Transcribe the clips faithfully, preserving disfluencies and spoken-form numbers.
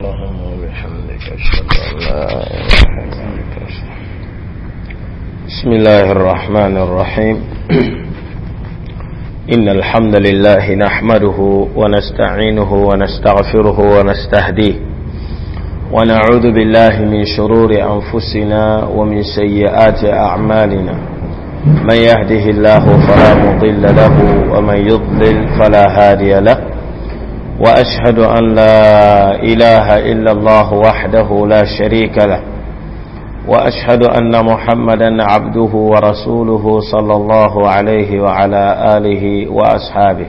اللهم وبحمدك أشهد أن لا إله إلا أنت أستغفرك. بسم الله الرحمن الرحيم. إن الحمد لله نحمده ونستعينه ونستغفره ونستهديه، ونعوذ بالله من شرور أنفسنا ومن سيئات أعمالنا. من يهده الله فلا مضل له ومن يضلل فلا هادي له، وأشهد أن لا إله إلا الله وحده لا شريك له، وأشهد أن محمدا عبده ورسوله صلى الله عليه وعلى آله وأصحابه.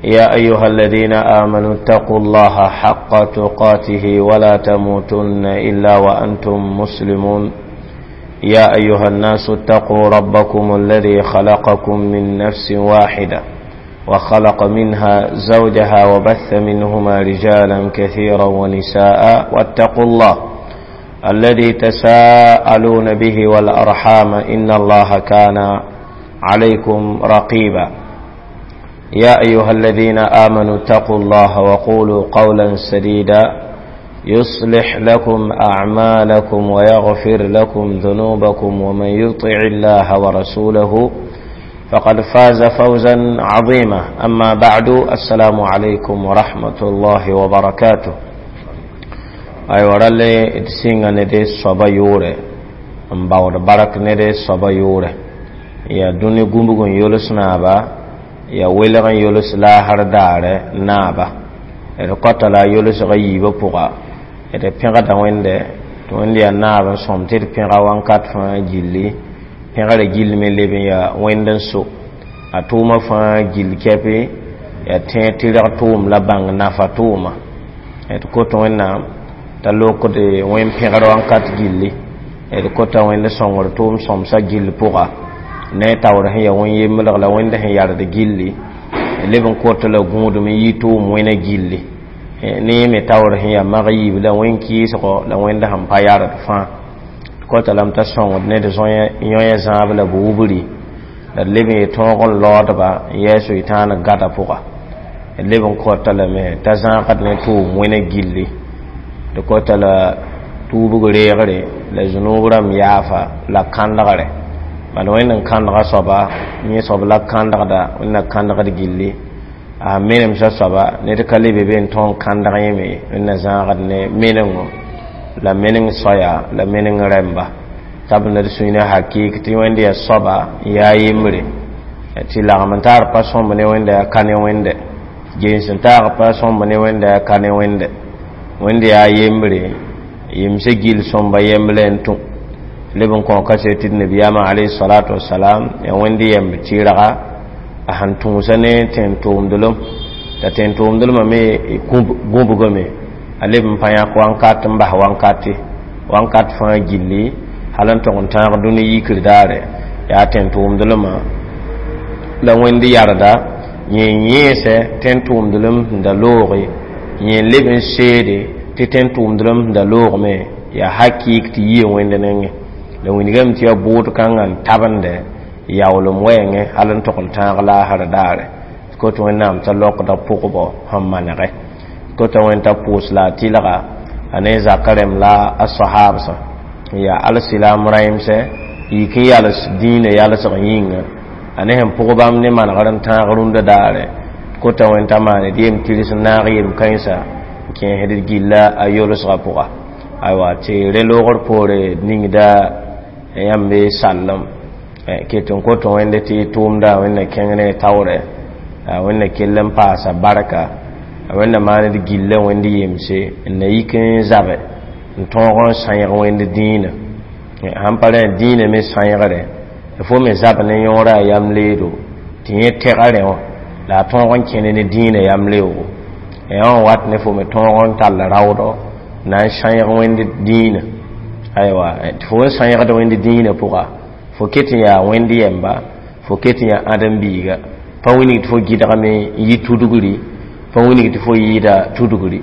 يا أيها الذين آمنوا اتقوا الله حق تقاته ولا تموتن إلا وأنتم مسلمون. يا أيها الناس اتقوا ربكم الذي خلقكم من نفس واحدة وخلق منها زوجها وبث منهما رجالا كثيرا ونساء، واتقوا الله الذي تساءلون به والأرحام إن الله كان عليكم رقيبا. يا أيها الذين آمنوا اتقوا الله وقولوا قولا سديدا يصلح لكم أعمالكم ويغفر لكم ذنوبكم، ومن يطع الله ورسوله فقد فاز فوزا عظيما. أما بعد، السلام عليكم ورحمة الله وبركاته. أي ورالي تسينغ ندي صبا يوري مباور بارك ندي صبا يوري يا دوني غومبغون يولس نابا يا ويلغن يولس لا هر دار نابا القتل يولس غيب بوغا ede pẽgda wẽnde tɩ wẽnd yaa naab n sõm tɩ d pẽga wãnkat fãa gilli pẽgrã gill me leb n yaa wẽnd n so a tʋʋmã fãa gill kɛpɩ yaa tẽeg tɩrg tʋʋm la bãng nafa tʋʋma d kot wẽnnaam t'a lokd wẽn pẽgr wãnkat gilli d kota wẽnd sõngr tʋʋm sõmsã gill pʋga ne taoor sẽn yaa wẽn yemblg la wẽnd sẽn yard gilli leb n kot la gũudum n yi tʋʋm wẽna gilli ne me taoor sẽn yaa mag yiib la wẽn kɩɩsgo la wẽnd sẽn pa yard fãa kota lam t'a sõngd ne d yõe zãab la buubri la d leb n yɩ tõog n laoodba n yɛɛ soytãan gada pʋga d leb n kota lame t'a zãagd ne tʋʋm wẽna gilli d kota la tuubg reegre la zũnub rãmb yaafa la kãndgre bala wẽnd n kãndga soaba yẽ soab la kãndgda wẽnna kãndgd gilli a menemsã soaba ned ka lebe be n tõog n kãndg yẽme wẽnna zãagd ne menengo la meneng soaya la meneng rẽmba t'a b ned sũyna hakɩɩk tɩ wẽnd yaa soaba n yaa yembre tɩ lagm n taar pa sõmb ne wẽnda yaa ka ne wẽnde gens n taag pa sõmb ne wẽnda yaa ka ne wẽnde wẽnd yaa yembre yemsã gill sõmba yemble n tũ leb n kõ kaset tɩ d nabiyaamã alayhi salatu wasalam yaa wẽnd yemb tɩrga a sẽn tũusa ne tẽn-tʋʋmdlem t'a tẽn-tʋʋmdlmã me gũbgame a leb n pa yãk wãnkat n bas wãnkate wãnkat fãa gilli hal n tog n tãag dũni yikr daare yaa tẽn-tʋʋmdlmã la wẽnd yarda yẽ yẽesɛ tẽn-tʋʋmdlem sẽn da looge yẽ leb n seede tɩ tẽn-tʋʋmdlem sẽn da loogme yaa hakɩɩk tɩ yie wẽnd nengẽ la wingame tɩ yaa bʋʋd kãngã n tabende yaoolem wɛɛngẽ hal n tog n tãag laasr daare kot wẽnnaam t'a lokda pʋgbɔ sẽn manege kota wẽnd t'a pʋʋs la a tɩlga a ne zaka rẽmb la a sahaabsã n yaa alsilam rãimsɛ yik n yals dĩinã yalsg yĩnga a ne sẽn pʋg bãmb ne manegr n tãag rũndã daare kota wẽnd t'a maane d yem tirs n naag yem kãensa n kẽesd d gilla a yolsgã pʋga aywa tɩ re loogr poore ningda yãmb sallem ket n kot wẽnd tɩ tʋʋmda wẽnna kẽng ne taoorɛ wẽnna kell n paasa barka wẽnna maand gilla wẽnd yemse n na yik n zabe n tõog n sãeeg wẽnd dĩinã sãn pa rẽ dĩinã me sãeegre fo me zab ne yõorã a yam leedo tɩ yẽ tɛga rẽ wã la a tõog n kẽne ne dĩinã yam leoogo yã wã wat ne fo me tõog n tall raoodɔ na n sãeeg wẽnd dĩinã aywa tɩ fo n sãeegd wẽnd dĩinã pʋga fo ket n yaa wẽnd yɛmba fo ket n yaa ãdem-biiga pa wilg tɩ fo gɩdgame n yɩ tudgri pa wilg tɩ fo yɩɩda tudgri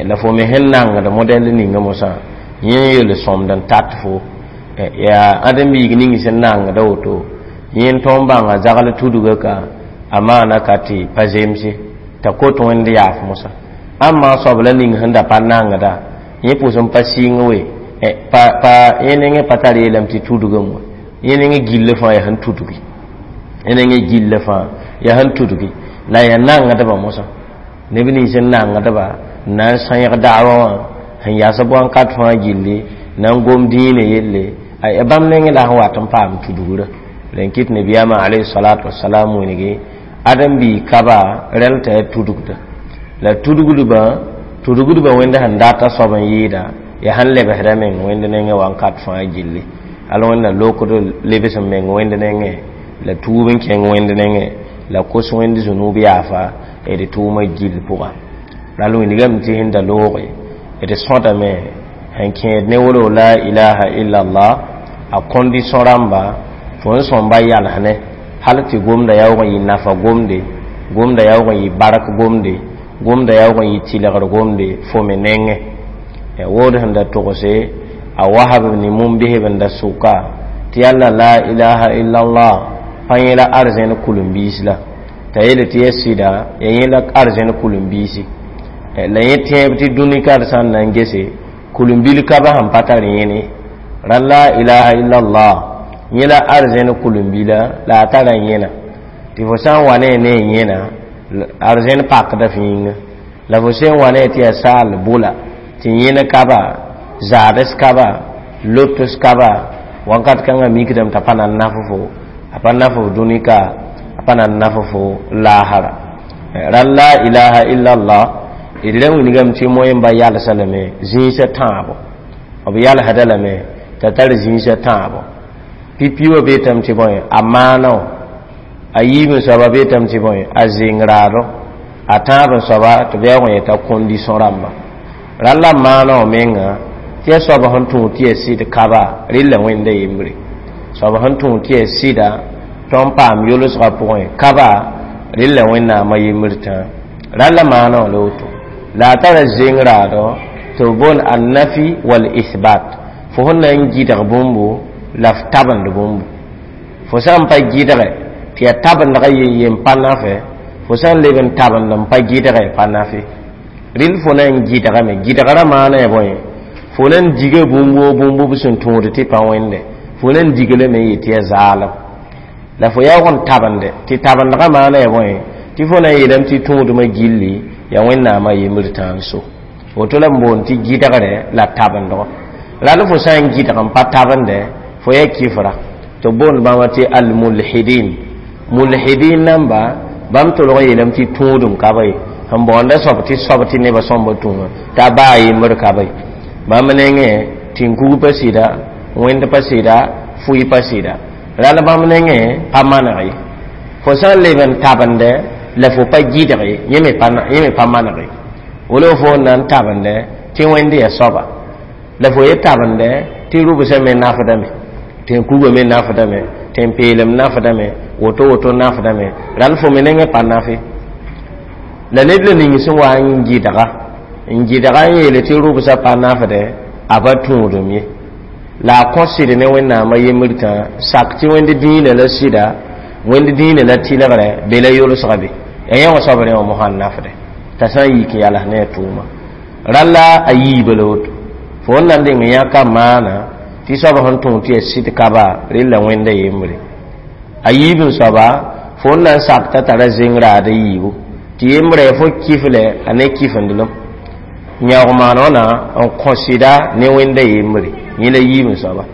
la fo me sẽn nangd modɛl ninga mosã yẽ yel sõmd n tat fo yaa ãdem-biig ning sẽn nangda woto yẽ n tõog n bãnga zagl tudga ka a maana ka tɩ pa zemse t'a kot wẽnd yaaf mosã Ãmba soab la ning sẽn da pa nangda yẽ pʋs n pa sɩng we, pa pa yẽ nengẽ pa tar yeelame tɩ tudgame wa. Yẽ nengẽ gill fãa yaa sẽn tudgi, yẽ nengẽ gill fãa yaa sẽn tudgi, la yaa nangdbã mosã, neb nins n nangdba n na n sãyg daawa wã sẽn yas bõn-kat fãa gilli, na n gom dĩinã yelle a bãmb nengẽ la sẽn wat n paam tudgrã. La n kɩt nabiyaamã alayhi salatu wasalam wilgi ãdem-biig kaba rɛl t'a yaa tudgda la tudgdbã tudgdbã wẽnd sẽn data soab n yɩɩda yaa sẽn lebsda meng wẽnd nengẽ wãnkat fãa gilli. Al wẽnda lokd lebs n meng wẽnd nengẽ la tuub n kẽng wẽnd nengẽ la kos wẽnd zũnub yaafa d tʋʋmã gill pʋga. Ral wilgame tɩ sẽn da looge d sõdame sẽn kẽed ne wolo la ilaha illallah a condition rãmba tɩ n sõmba yalsne hal tɩ gomda yaoog n yɩ nafa gomde, gomda yaoog n yɩ bark gomde, gomda yaoog n yɩ tɩlgr gomde fo me nengẽ. Wood sẽn da togse a wasb ne mum-bisb n da sʋka tɩ yalla la ilaha illallah pa yẽ la arzẽn kulem-biis la t'a yeele tɩ ya sɩda ya yẽ la arzẽn kulem-biisi la yẽ tẽeb tɩ dũni kar sã n na n gese kulem-bil ka ba sẽn pa tar yẽne. Ra la ilaha illallah yẽ la arzẽn kulem-bila la a tara yẽna tɩ fo sã n wa ne ne yẽna arzẽn pakda f yĩnga, la fo sẽn wa ne tɩ yaa saal bʋla tɩ yẽne kaba zaads kaba lots kaba wãnkat kãngã mikdame t'a pa na n naf fo, a pa naf f dũni ka, a pa na n naf fo laasra. Ra la ilaha illallah d ra wilgame tɩ moẽmba yalsa lame zĩisã tãabo, b yalsda lame t'a tar zĩisã tãabo. Pipi wã beetame tɩ bõe a maana wã, a yiib n soaba beetame tɩ bõe a zeng raado, a tãab n soaba tɩ b yaoog n yeta condition rãmba. Rall la maana wã menga tɩ yaa soab sẽn tũud tɩ yaa sɩd kaba rɩlla wẽnda yembre, soab sẽn tũud tɩ yaa sɩda tõnd paam yolsgã pʋgẽ kaba rɩlla wẽnnaamã yembr tã. Rall la maana wã la woto la a tara zeng raado tɩ b boond annafi wal ithbat, fo sẽn na n gɩdg bũmbu la f tabend bũmbu. Fo sã n pa gɩdge tɩ yaa tabendgã yen yen pa nafe, fo sã n leb n tabend n pa gɩdge pa nafe. Rɩl fo na n gɩdgame, gɩdgrã maana ya bõe fo na n diga bũmb woo bũmb b sẽn tũud tɩ pa wẽnde, fo na n diglame n yet tɩ yaa zaalem la fo yaoog n tabende tɩ tabendgã maana ya bõe tɩ fo na n yeelame tɩ tũudmã gilli yaa wẽnnaamã yembr tã n so. Woto la n boond tɩ gɩdgre la tabendgo. Rall fo sã n gɩdg n pa tabende fo yaa kifra tɩ boond bãmba tɩ almulhidin. Mulhidin namba bãmb tolg n yeelame tɩ tũudum ka ba ye, sẽn baoonda soab tɩ soab tɩ nebã sõmba tũwã t'a baa yembr ka ba ye. Bãmb nengẽ tĩn-kug pa sɩda, wẽnd pa sɩda, fʋɩ pa sɩda, rall bãmb nengẽ pa maneg ye. Fo sã n leb n tabende la fo pa gɩdge yẽ me pa maneg ye. Wala fo n na n tabende tɩ wẽnd yaa soaba la fo ye tabende tɩ rʋbsã me nafdame, tẽn-kugã me nafdame, tẽn-peelem nafdame, woto woto nafdame, rall fo me nengẽ pa nafe. La ned la ning sẽn wa n gɩdga n gɩdga n yeele tɩ rʋbsã pa nafdẽ a pa tũudum ye, la a kõ sɩd ne wẽnnaamã yembr tã sak tɩ wẽnd dĩinã la sɩda, wẽnd dĩinã la tɩlgrɛ be la yolsga be ya yẽ wã soab rẽ wã mosã n nafdẽ t'a sã n yik n yals ne a tʋʋma. Ralla a yiiba la woto fo n na n deng yãka maana tɩ soab sẽn tõog tɩ yaa sɩd kaba rella wẽnda yembre. A yiib n soaba fo n na n sak t'a tara zeng raad a yiibu tɩ yembrã yaa fo kiflɛ a ne kifendelem yãoog maan wãna n kõ sɩda ne wẽnda yembre yẽ la yiib n soaba.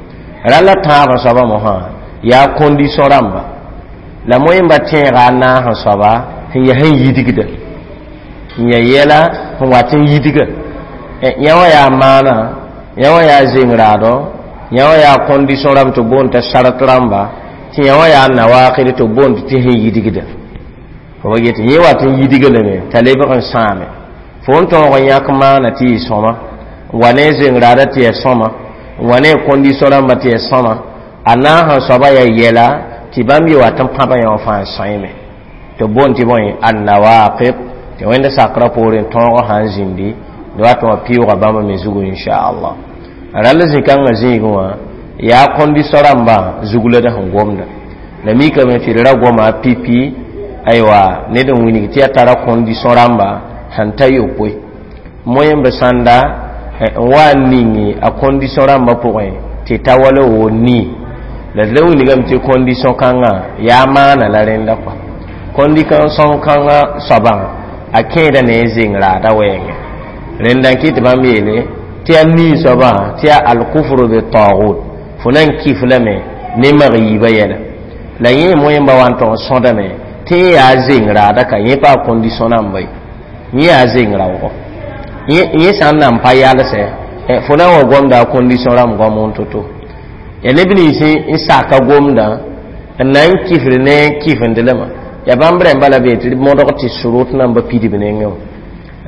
Rall la tãab n soaba mosã yaa condition rãmba la moẽmba tẽega a naas n soaba sẽn yaa sẽn yidgda n yaa yɛla sẽn wat n yidga yã wã yaa maana, yã wã yaa zeng raadɔ, yã wã yaa condition rãmb tɩ boond t'a sarat rãmba, tɩ yã wã yaa nawakd tɩ boond tɩ sẽn yidgda fo ba get yẽ wat n yidga lame t'a lebg n sãame fo n tõog n yãk maana tɩ yɩ sõma n wa ne zeng raada tɩ yaa sõma n wa ne condition rãmba tɩ yaa sõma a naas n soaba yaa yɛla tɩ bãmb ye wat n pãba yã wã fãa n sõeme tɩ boond tɩ bõe annawaqid tɩ wẽnda sakrã poorẽ tõogã sã n zĩndi d wat wã pɩʋʋga bãmba me zugu inchallah. Rall zĩ-kãngã zĩigẽ wã yaa condition rãmbã zug la d sẽn gomda la mikame tɩ d ra goma pipi aywa ned n wilg tɩ yaa tara condition rãmba sẽn ta yopoe. Moẽmb sãnda n wa n ning a condition rãmbã pʋgẽ tɩ ta wala wo nii la d la wilgame tɩ condition kãngã yaa maana la rẽnda kɔa condition kãngã soabã a kẽeda ne a zeng raada wɛɛngẽ rẽnda n kɩt tɩ bãmb yeele tɩ yaa nii soabã tɩ yaa alkufru bi tagut fo na n kif lame ne mag yiibã yɛla la yẽ moẽmba wa n tog n sõdame tɩ yẽ yaa zeng raada ka yẽ pa a condition namba ye yẽ yaa zeng raoogɔ yẽ sã n nan pa yalsɛ fo na n wa gomda a condition rãmb goam n to-to ya neb nins n saka gomdã n na n kifd ne kifendlema ya bãmb rẽmba la be tɩ modg tɩ surut namba pidb nengẽ wã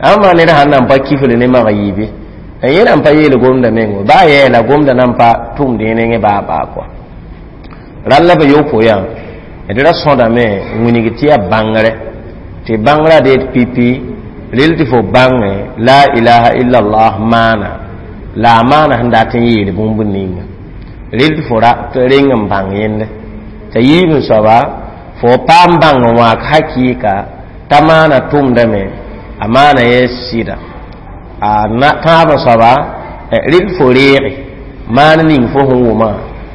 ãmba ned sãn nan pa kifd ne mag yiibe yẽ nan pa yeel gomda meng baa yɛɛla gomda nan pa tʋmd yẽ nengẽ baa baa kɔa rall la b yopoe yã d ra sõdame n wilg tɩ yaa bãngrɛ tɩ bãngrã deet pipi rel tɩ fo bãngẽ la ilaha illallah maana la a maana sẽn dat n yeel bũmb ninga rel tɩ fo reng n bãng yẽnde t'a yiib n soaba fo paam bãng n wãak hakɩɩka t'a maana tʋmdame a maana yɛ sɩda a tãab n soaba rel fo reege maan ning fo sẽn wʋma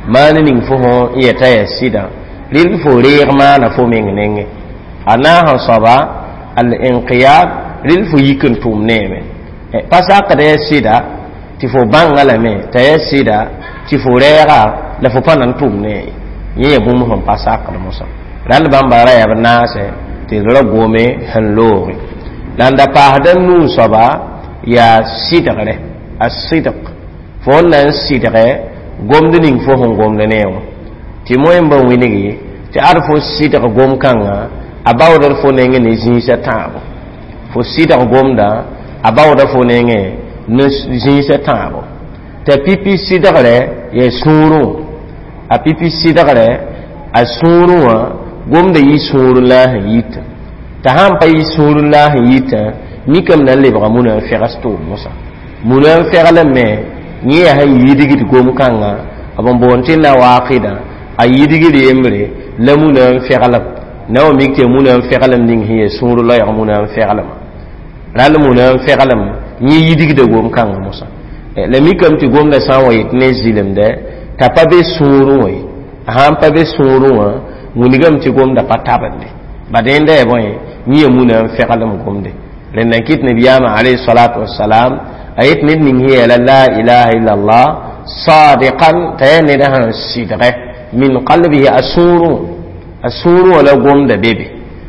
maan ning fo sẽn yɛta yaa sɩdã rel fo reeg maana fo meng nengẽ a naas n soaba al inqiyad rel fo yik n tʋm neeme pa sakd yaa sɩda tɩ fo bãnga lame t'a yaa sɩda tɩ fo rɛɛga la fo pa na n tʋm ne yẽ yaa bũmb sẽn pa sakd mosã rãnd bãmba ra yaa b naasɛ tɩ d ra gome sẽn looge la n da paasda nuu soaba yaa sɩdgre a sɩdg fo n na n sɩdgɛ gomd ning fo sẽn gomd ne wã tɩ moẽmba wilgi tɩ ad fo sɩdg gom-kãngã a baoodr fo nengẽ ne zĩisã tãabo fo sɩdg gomdã a baooda fo nengẽ ne zĩisã tãabo t'a pipi sɩdgrɛ yaa sũurẽ a pipi sɩdgrɛ a sũurẽ wã gomda yɩ sũurẽ la a sẽn yitã t'a sãn pa yɩ sũurẽ la a sẽn yitã mikame na n lebga muna n fegs tʋʋm mosã muna n feglame yẽ yaa sẽn yidgd gom-kãngã b n boond tɩ nawaqida a yidgd yembre la muna n feglem na wa mik tɩ muna n feglem ning sẽn yaa sũur loɛɛg muna n feglema rall muna n feglem yẽ yidgda gom-kãngã mosã la mikame tɩ gomda sã n wa yet ne zɩlemdɛ t'a pa be sũurẽ wã ye a sãn pa be sũurẽ wã wilgame tɩ gomda pa tabende ba dẽnda yaa bõe yẽ yaa muna n feglem gomde rẽnda n kɩt nabiyaamã alayhi salatu wasalam a yet ned ning sẽn yeela la ilaha illallah sadiqan t'a yaa ned sẽn sɩdgɛ min qalbihi a sũurẽ a sũurẽ wã la gomda be be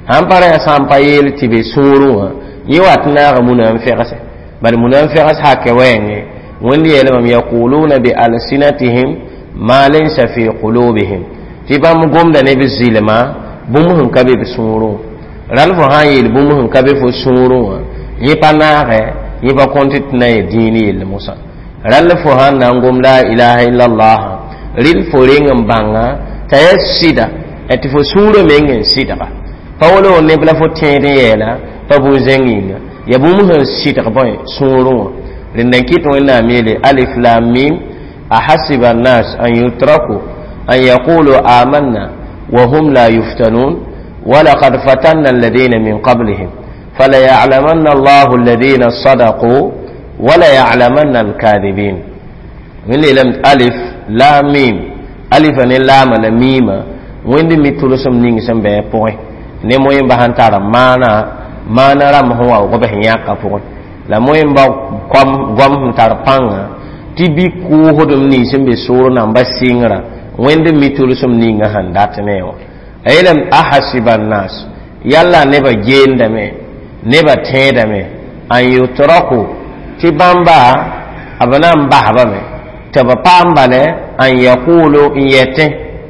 sãn pa ra yaa sã n pa yeel tɩ be sũurẽ wã yẽ wat naaga muna n fegsɛ bad muna n fegs hakɛ wɛɛngẽ wẽnd yeelame yaquluna bi alsinatihim ma laysa fi qulubihim tɩ bãmb gomda ne b zɩlma bũmb sẽn ka be b sũurẽ rall fo sã n yeel bũmb sẽn ka be fo sũurẽ wã yẽ pa naagɛ yẽ pa kõnt tɩ na n dĩin yell mosã rall fo sãn na n gom la ilaha illallah rɩl fo reng n bãnga t'a yaa sɩda tɩ fo sũurã meng n sɩdga pa wala neb la fo tẽed n yɛɛla pa bũn-zẽng yĩnga yaa bũmb sẽn sɩdg bõe sũurẽ wã rẽnda n kɩt wẽnnaam yeele alif lam mim ahasiba annas an yutraku an yaqulu amanna wa hum la yuftanun ولقد فتنا الذين من قبلهم فليعلمن الله الذين صدقوا وليعلمن الكاذبين من لم ألف لام ميم ألف ne laama la miima wẽnd mi tʋlsem ning sẽn bɩ pʋgẽ ne moẽmba sãn tara maana maana rãmb sẽn wa b sẽn yãka pʋgẽ la moẽmba goam sẽn tar pãnga tɩ bɩ kʋʋsdem nins sẽn be soor namba sɩngrã wẽnd mi tʋlsem ninga sẽn dat ne wã a yeelame ahasiba nnas yalla nebã geendame nebã tẽedame an yutraku tɩ bãmba b na n basbame tɩ b paam bale an yaqulu n yetẽ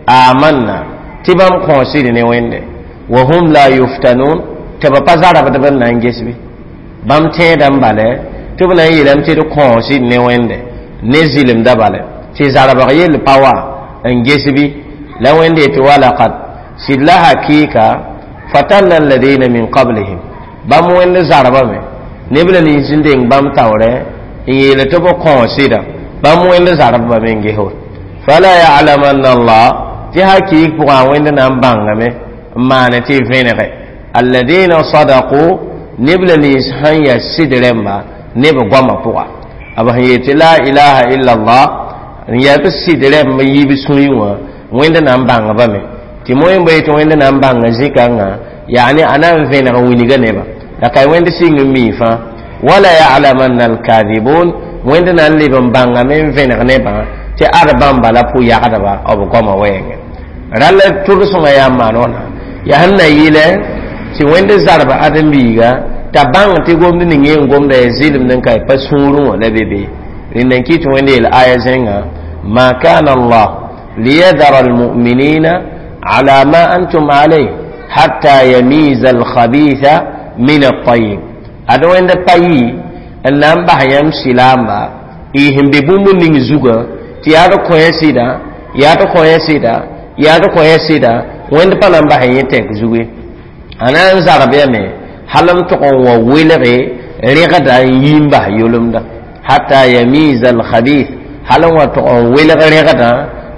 amanna tɩ bãmb kõosd ne wẽnde wa hum la yuftanun tɩ b pa zarabd b n na n ges bɩ bãmb tẽedã n bale tɩ b na n yeelame tɩ d kõosd ne wẽnde ne zɩlemda bale tɩ zarbg yell pa wa n ges bɩ la wẽnde yetɩ walakad sɩd la hakɩɩka fatanna alladina min qablihim bãmb wẽnd zarbame neb la nins n deng bãmb taoorɛ n yeele tɩ b kõosɩda bãmb wẽnd zarbame n ges fala yalamanna allah tɩ hakɩɩk pʋgã wẽnd na n bãngame n maane tɩ vẽnege alladina sadaqu neb la nins sẽn yaa sɩd rẽmba Neb goamã pʋga b sẽn yeel tɩ la ilaha illallah n yaa b sɩd rɛmb n yiib sũyẽ wã wẽnd na n bãngbame tɩ moẽ boe tɩ wẽnd na n bãnga zĩ-kãngã yaa ne a na n vẽneg n wilga nebã la ka wẽnd sɩng n mii fãa wala yalamanna alkadibun wẽnd na n leb n bãngame n vẽneg nebã tɩ ad bãmba la pʋ-yagdba b goamã wɛɛngẽ rall tʋlsengã yaa n maan wãna yaa sẽn na yɩlɛ tɩ wẽnd zarb ãdem-biiga t'a bãng tɩ gomd ning yẽ n gomda ya zɩlemd n ka pa sũurẽ wã la be be rẽnd n kɩt wẽnd yeel aya zẽnga ma kana allah liyadara almuminina ala ma antum alayh hatta yamiza alkhabitha min altayib ad wẽnd pa yɩ n na n bas yãmb sɩlaamba y sẽn be bũmb ning zugã tɩ yaa d kõ ya sɩda yaa d kõ ya sɩda yaa d kõ ya sɩda wẽnd pa na n bas yẽ tɛk zuge a na n zarb yame hal n tʋg n wa welge rẽgda n yi n bas yolemda hatta yamiza alkhabith hal n wa tʋg n welg rẽgdã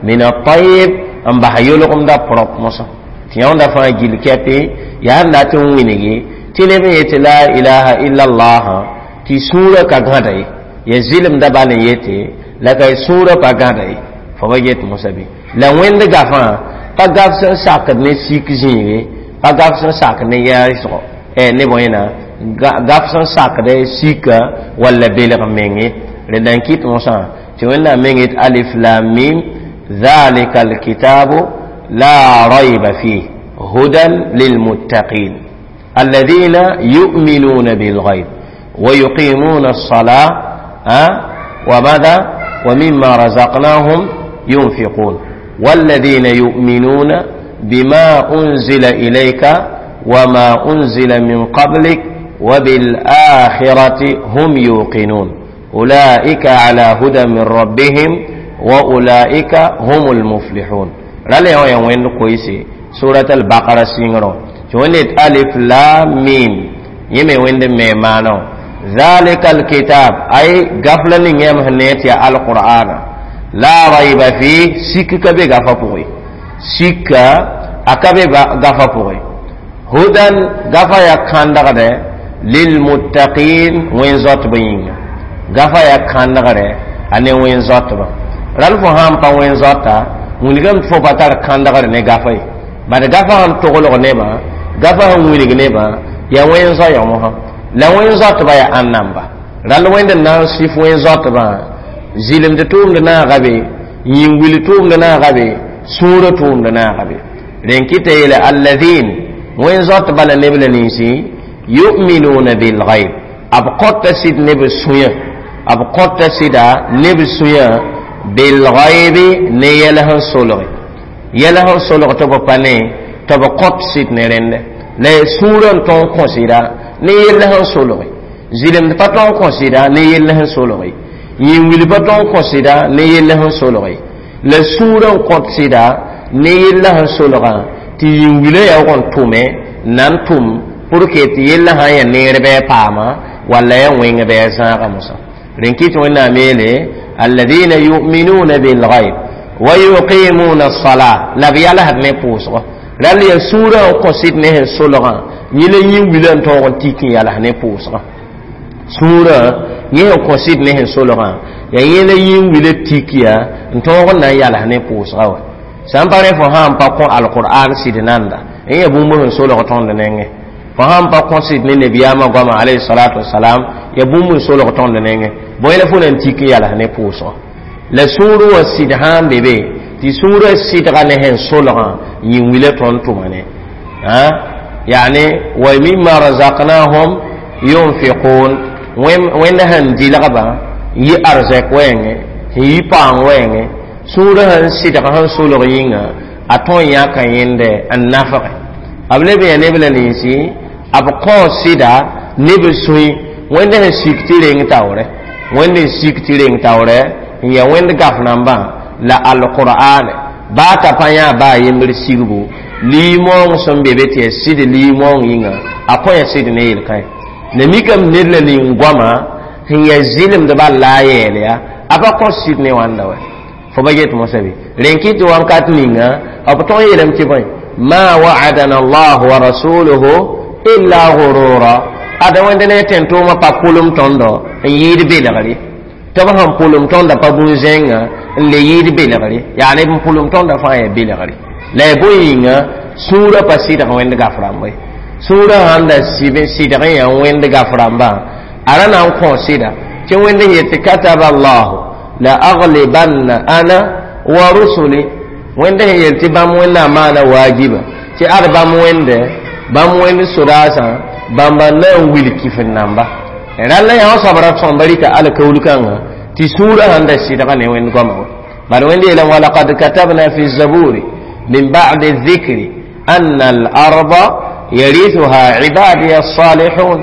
min altayib n bas yolgemda prop mosã tɩ yãonda fãa gil kɛpe yaa n dat n winge tɩ neb n yetɩ la ilaha illallah tɩ sũurã ka gãda ye ya zɩlemda bal n yete la ka sũurã pa gãda ye fo ba get mosã bɩ la wẽnd gafã pa gaf sẽn sakd ne sik zĩige pa gaf sẽn sak ne yɛɛsgo ne bõe-na gaf sẽn sakd sika walla belg menge rẽnda n kɩt mosã tɩ wẽnnaam meng yet alif lam mim ذلك الكتاب لا ريب فيه هدى للمتقين الذين يؤمنون بالغيب ويقيمون الصلاة أه؟ وماذا ومما رزقناهم ينفقون والذين يؤمنون بما أنزل إليك وما أنزل من قبلك وبالآخرة هم يوقنون أولئك على هدى من ربهم وأولئك هم المفلحون رالي هو وين كويسي سورة البقرة سينغرو ونت ألف لام ميم يمي وين ميمانو ذلك الكتاب أي غفلة نيم هنيت يا القرآن لا ريب فيه سيك كبي غفا بوي سيك أكبي غفا بوي هدى غفا يا كاندغ للمتقين وين زوت بين غفا يا كاندغ ane wẽn zoatba ral fo sãn pa wẽn zoata wilgame tɩ fo pa tar kãndgr ne gafa ye bad gafa sẽn toglg nebã gafa sẽn wilg nebã yaa wẽn zoa yã mosã la wẽn zoatba yaa ãn namba rall wẽnd n na n sɩf wẽn zoatbã zɩlemd tʋʋmd naaga be yĩn-wil tʋʋmd naaga be sũurã tʋʋmd naaga be rẽn kɩta yeele alladin wẽn zoatba la neb la ninsi yuminuna bilghaib b kõta sɩd neb sũyã b kõta sɩda neb sũyã bilghaibi ne yɛl sẽn solge yɛl sẽn solg tɩ b pa ne tɩ b kõt sɩd ne rẽndɛ la sũurã n tõog kõ sɩda ne yell sẽn solge zɩlemd pa tõog kõ sɩda ne yell sẽn solge yĩn-wil pa tõog kõ sɩda ne yell sẽn solge la sũurã n kõt sɩda ne yella sẽn solgã tɩ yĩn-wilã yaoog n tʋme na n tʋm pour que tɩ yella sã n yaa neer bɩ a paama walla ya wẽng bɩ a zãaga mosã rẽn kɩt wẽnnaam yeele alladina yuminuna bilghaib wa yuqimuna الصلاة la b yalsd ne pʋʋsgɔ rall yaa sũurã n kõ sɩd ne sẽn solgã yẽ la yĩn-wilã n tõog n tik n yals ne pʋʋsgã sũurã yẽ sẽn kõ sɩd ne sẽn solgã yaa yẽ la yĩn-wilã tik yaa n tõog n na n yals ne pʋʋsgã wa sã n pa rẽ fo sã n pa kõ alqur'an sɩd nanda n yaa bũmb sẽn solg tõnd nengẽ fo sã n pa kõ sɩd ne nabiyaamã goama alayhi salatu wasalam yaa bũmb n solg tõnd nengẽ bõe la fo na n tik n yals ne pʋʋsgã la sũur wã sɩd sã n be be tɩ sũurã sɩdga ne sẽn solgã yĩn-wilã tõnd tʋma ne yani wa mimma razaqnahum yunfiqun wẽnd sẽn dɩlgba yi arzɛk wɛɛngẽ sẽn yi paang wɛɛngẽ sũurã sẽn sɩdg sẽn solg yĩnga a tõe n yãka yẽnde n nafge b leb n yaa neb la ninsi b kõ sɩda neb sũy wẽnd sẽn sik tɩ reng taoorɛ wẽnd n sik tɩ reng taoorɛ n yaa wẽnd gaf nambã la alqur'an baa t'a pa yã baa yembr sigbu liimoong sẽn be be tɩ yaa sɩd liimoong yĩnga a kõ ya sɩd ne yel-kãe la mikame ned la nin-goamã sẽn yaa zɩlemdbã la a yɛɛl ya a pa kõ sɩd ne wãnda wa fo ba get mosã bɩ rẽn kɩ tɩ wãnkat ninga b tõg yeelame tɩ bõe ma wa'adana allah wa rasuluhu illa gurura Ada wẽnd ne tẽn-tʋʋmã pa pʋlem tõndo n yɩɩd belgre tɩ b sẽn pʋlem tõnda pa bũn-zẽngã n le yɩɩd belgre yaa neb n pʋlem tõnda fãa yaa belgre la ya bõe yĩnga sũurã pa sɩdg wẽnd gaf rãmba ye sũurã sãn da sɩdg n yaa wẽnd gaf rãmbã a ra na n kõ sɩda tɩ wẽnd n yet tɩ kataba allahu la aglibanna ana wa rusuli wẽnd sẽn yel tɩ bãmb wẽnnaam maana waajiba tɩ ad bãmb wẽnde bãmb wẽnd sodaasã bãmba na n wil kifin namba rãlla yã wã soab ra sõmba rɩka alkaul kãngã tɩ sũurã sãn da sɩdga ne wẽnd goama wa bad wẽnd yeelame walaqad katabna fi zaburi min ba'di dhikri anna al-arda yarithuha ibadiya as-salihun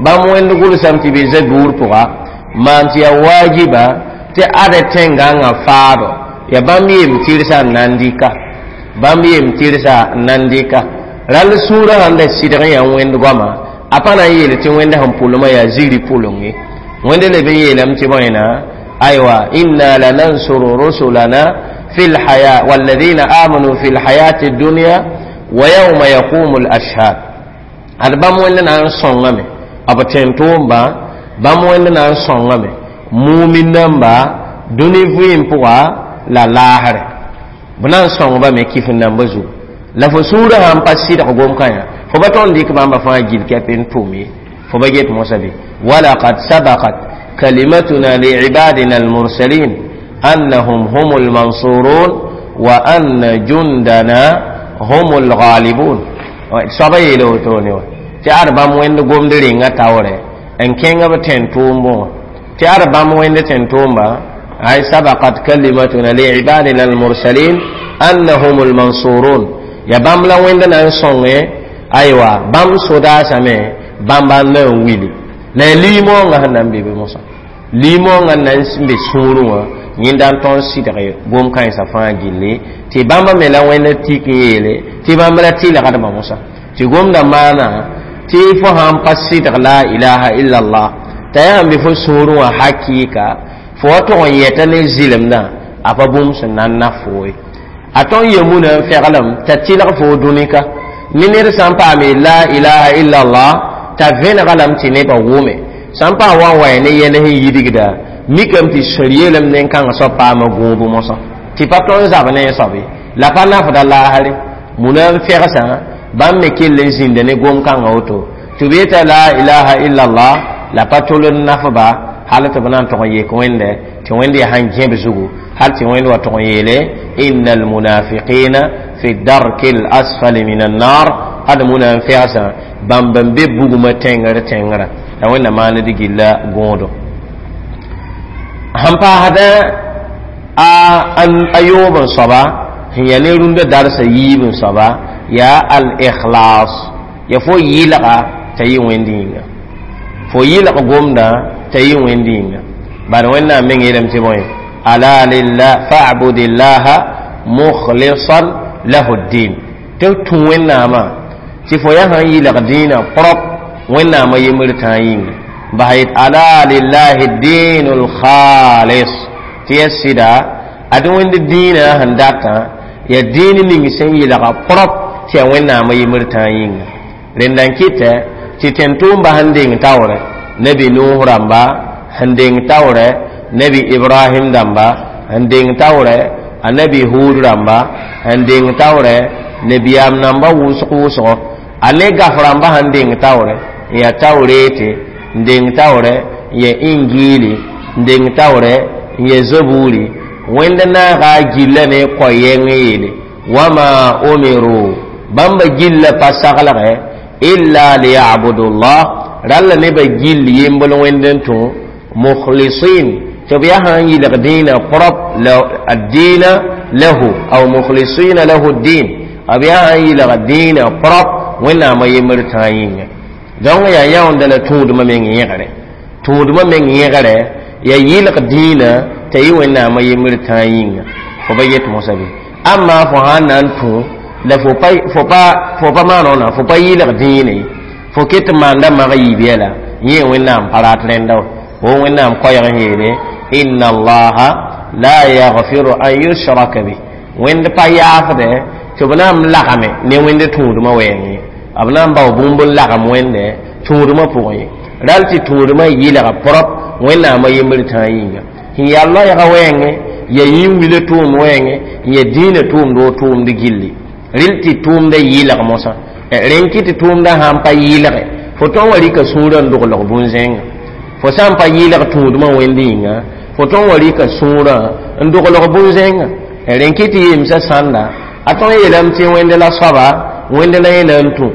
bãmb wẽnd gʋlsame tɩ be zabuur pʋga maan tɩ yaa waajiba tɩ ada tẽngãngã faado ya bãmb yem tɩrsa n na n dɩka bãmb yem tɩrsa n na n dɩka rall sũurã sãn da sɩdg n yaa wẽnd goama a pa na n yeel tɩ wẽnda sẽn pʋlmã yaa ziri pʋleng ye wẽnd leb n yeelame tɩ bõena aywa inna lanansuru rusulana fi lhaya walladina amanu fi lhayati dunya wa yawma yaqumu lashhad ad bãmb wẽnd na n sõngame b tẽn-tʋʋmba bãmb wẽnd na n sõngame mumin namba dũni vɩɩm pʋga la laasre b na n sõngba me kif n namba zugu la fo sũurã sãn pa sɩdg gom-kã yã fo pa tõnd dɩk bãmba fãa gil kɛp n tʋm ye fo ba get mosã bɩ walaqad sabaqat kalimatuna liibadina almursalin annahum hum lmansurun wa anna jundana hum lghalibun soaba yeela wotone wa tɩ ad bãmb wẽnd gomd rengã taoorɛ n kẽnga b tẽn-tʋʋmbẽ wã tɩ ad bãmb wẽnd tẽn-tʋʋmba ay sabaqat kalimatuna liibadina almursalin annahum lmansurun ya bãmb la wẽnd na n sõnge aywa bãmb sodaasame bãmba n na n wili la ya liimoongã sẽn na n be be mosã liimoongã n na n be sũurẽ wã yẽnda n tõnd sɩdge gom-kãensã fãa gilli tɩ bãmba me la wẽnd tik n yeele tɩ bãmb la tɩlgdbã mosã tɩ gomda maana tɩ fo sãn pa sɩdg la ilaha illallah t'a yaa n be fo sũurẽ wã hakɩɩka fo wa tog n yɛta ne zɩlemdã a pa bũmb sẽn na n naf fo ye a tõn yemuna n feglem t'a tɩlg fo dũnika ne ned sã n paame la ilaha illallah t'a vẽnega lame tɩ nebã wʋme sã n paam wa n wa ne yɛl sẽn yidgda mikame tɩ sẽr yeelame nen-kãngã soab paama gũub mosã tɩ pa tõnd zab ne a soab ye la pa nafda laasre muna n fegsã bãmb me kell n zĩnda ne gom-kãngã woto tɩ b yeta la ilaha illallah la pa tol n nafba hal tɩ b na n tog n yek wẽnde tɩ wẽnd yaa sãn gẽb zugu hal tɩ wẽnd wa tog n yeele inna almunafiqina fi darki lasfali min annar ad muna n fegsã bãmb n be bugmã tẽngr tẽngrã la wẽnna maand gilla gõodo sẽn paasdã a yoob n soaba sẽn yaa ne rũndã darsa yiib n soaba yaa al-ikhlas ya fo yɩlga t'a yɩ wẽnd yĩnga fo yɩlg gomdã t'a yɩ wẽnd yĩnga bad wẽnnaam meng yeelame tɩ bõe ala lillah fa'budillaha mukhlisan lahu ddin tɩ f tũ wẽnnaamã tɩ fo yaa sãn yɩlg dĩinã prop wẽnnaamã yembr tãa yĩnga bas yet ala lillahi ddinu lkhalis tɩ ya sɩda ad wẽnd dĩinã sẽn datã ya dĩin ning sẽn yɩlga prop tɩ yaa wẽnnaamã yembr tãa yĩnga rẽnda n kɩtɛ tɩ tẽn-tʋʋmba sẽn deng taoorɛ nabi nuh rãmba sẽn deng taoorɛ nabi ibrahim dãmba sẽn deng taoorɛ a nabi hud rãmba sẽn deng taoorɛ nabiyaam namba wʋsg wʋsgo a ne gaf rãmba sẽn deng taoorɛ n yaa taoreete n deng taoorɛ n yaa ingiili n deng taoorɛ n yaa zaburi wẽnd naaga a gilla ne kõ-yɛng yeele wama umiru bãmba gilla pa saglgɛ illa liyabudullah ralla nebã gill yembl wẽnd n tũ mukhlisin tɩ b yaa sãn yɩlg dĩinã prop addiina lahu aw mukhlisina lahu ddin b yaa sãn yɩlg dĩinã prop wẽnnaamã yembr tãa yĩnga donc yaa yãonda la tũudmã meng yẽgre tũudmã meng yẽgre ya yɩlg dĩinã t'a yɩ wẽnnaamã yembr tãa yĩnga fo ba yet mosã bɩ amma fo sãn na n tũ la fo pa fo pa fo pa maan fo pa yɩlg dĩinã ye fo ket n maanda mag yiib yɛla yẽ wẽnnaam pa rat rẽnda wa wo wẽnnaam koɛɛg n yeele inna allaha la yaghfiru an yushraka bi wẽnd pa yaafdɛ tɩ b na n lagame ne wẽnd tũudmã wɛɛng ye b na n bao bũmb n lagem wẽnde tũudmã pʋgẽ ye ral tɩ tũudmã yɩlga prop wẽnnaamã yembr tãa yĩnga sẽn yaa loɛɛgã wɛɛngẽ ya yĩn-wila tʋʋmd wɛɛngẽ n ya dĩinã tʋʋmd o tʋʋmd gilli rɩl tɩ tʋʋmdã yɩlg mosã rẽn kɩ tɩ tʋʋmdã sãn pa yɩlge fo tõn wa rɩka sũurã n doglg bũn-zẽnga fo sã n pa yɩlg tũudmã wẽnd yĩnga fo tõn wa rɩka sũurã n doglg bũn-zẽnga rẽn kɩ tɩ yemsã sãnda a tõn yeelame tɩ wẽnd la soaba wẽnd la yẽ na n tũ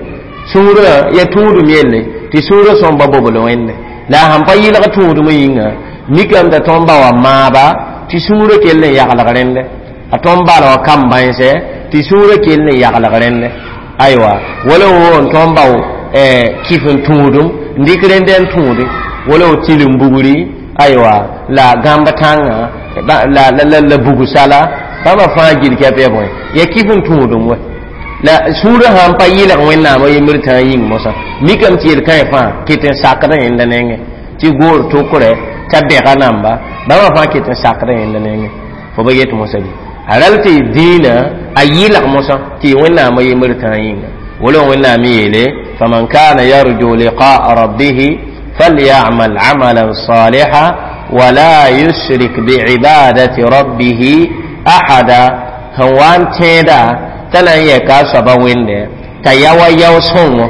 sũurã ya tũudum yelle tɩ sũurã sõmba bobl wẽnde la a sãn pa yɩlg tũudmã yĩnga mikame t'a tõn ba wa maaba tɩ sũurã kell n yaglg rẽnde a tõn bala wa kam bãense tɩ sũurã kell n yaglg rẽnde aywa wala wo n tõn bao kɩf n tũudum n dɩk rẽnd n tũude wala wo tɩlem bugri aywa la gãmb tãngã la la la bugsala bãmba fãa gil kɛp ya bõe ya kɩf n tũudum wɛ la sũurã sãn pa yɩlg wẽnnaamã yembr tãa yĩng mosã mikame tɩ yel-kãe fãa kɩt n sakdã yẽnda nengẽ tɩ goor tokrɛ t'a bɛga namba bãmba fãa kɩt n sakdã yẽnda nengẽ fo ba yet mosã bɩ a ral tɩ dĩinã a yɩlg mosã tɩ wẽnnaamã yembr tãa yĩnga wala wẽnnaam yeele faman kana yarju liqaa rabbihi falyamal amalan saliha wala yushrik biibadati rabbihi ahada sẽn wa n tẽeda t'a na n yɛka a soaba wẽnde t'a yaoa yao sõngo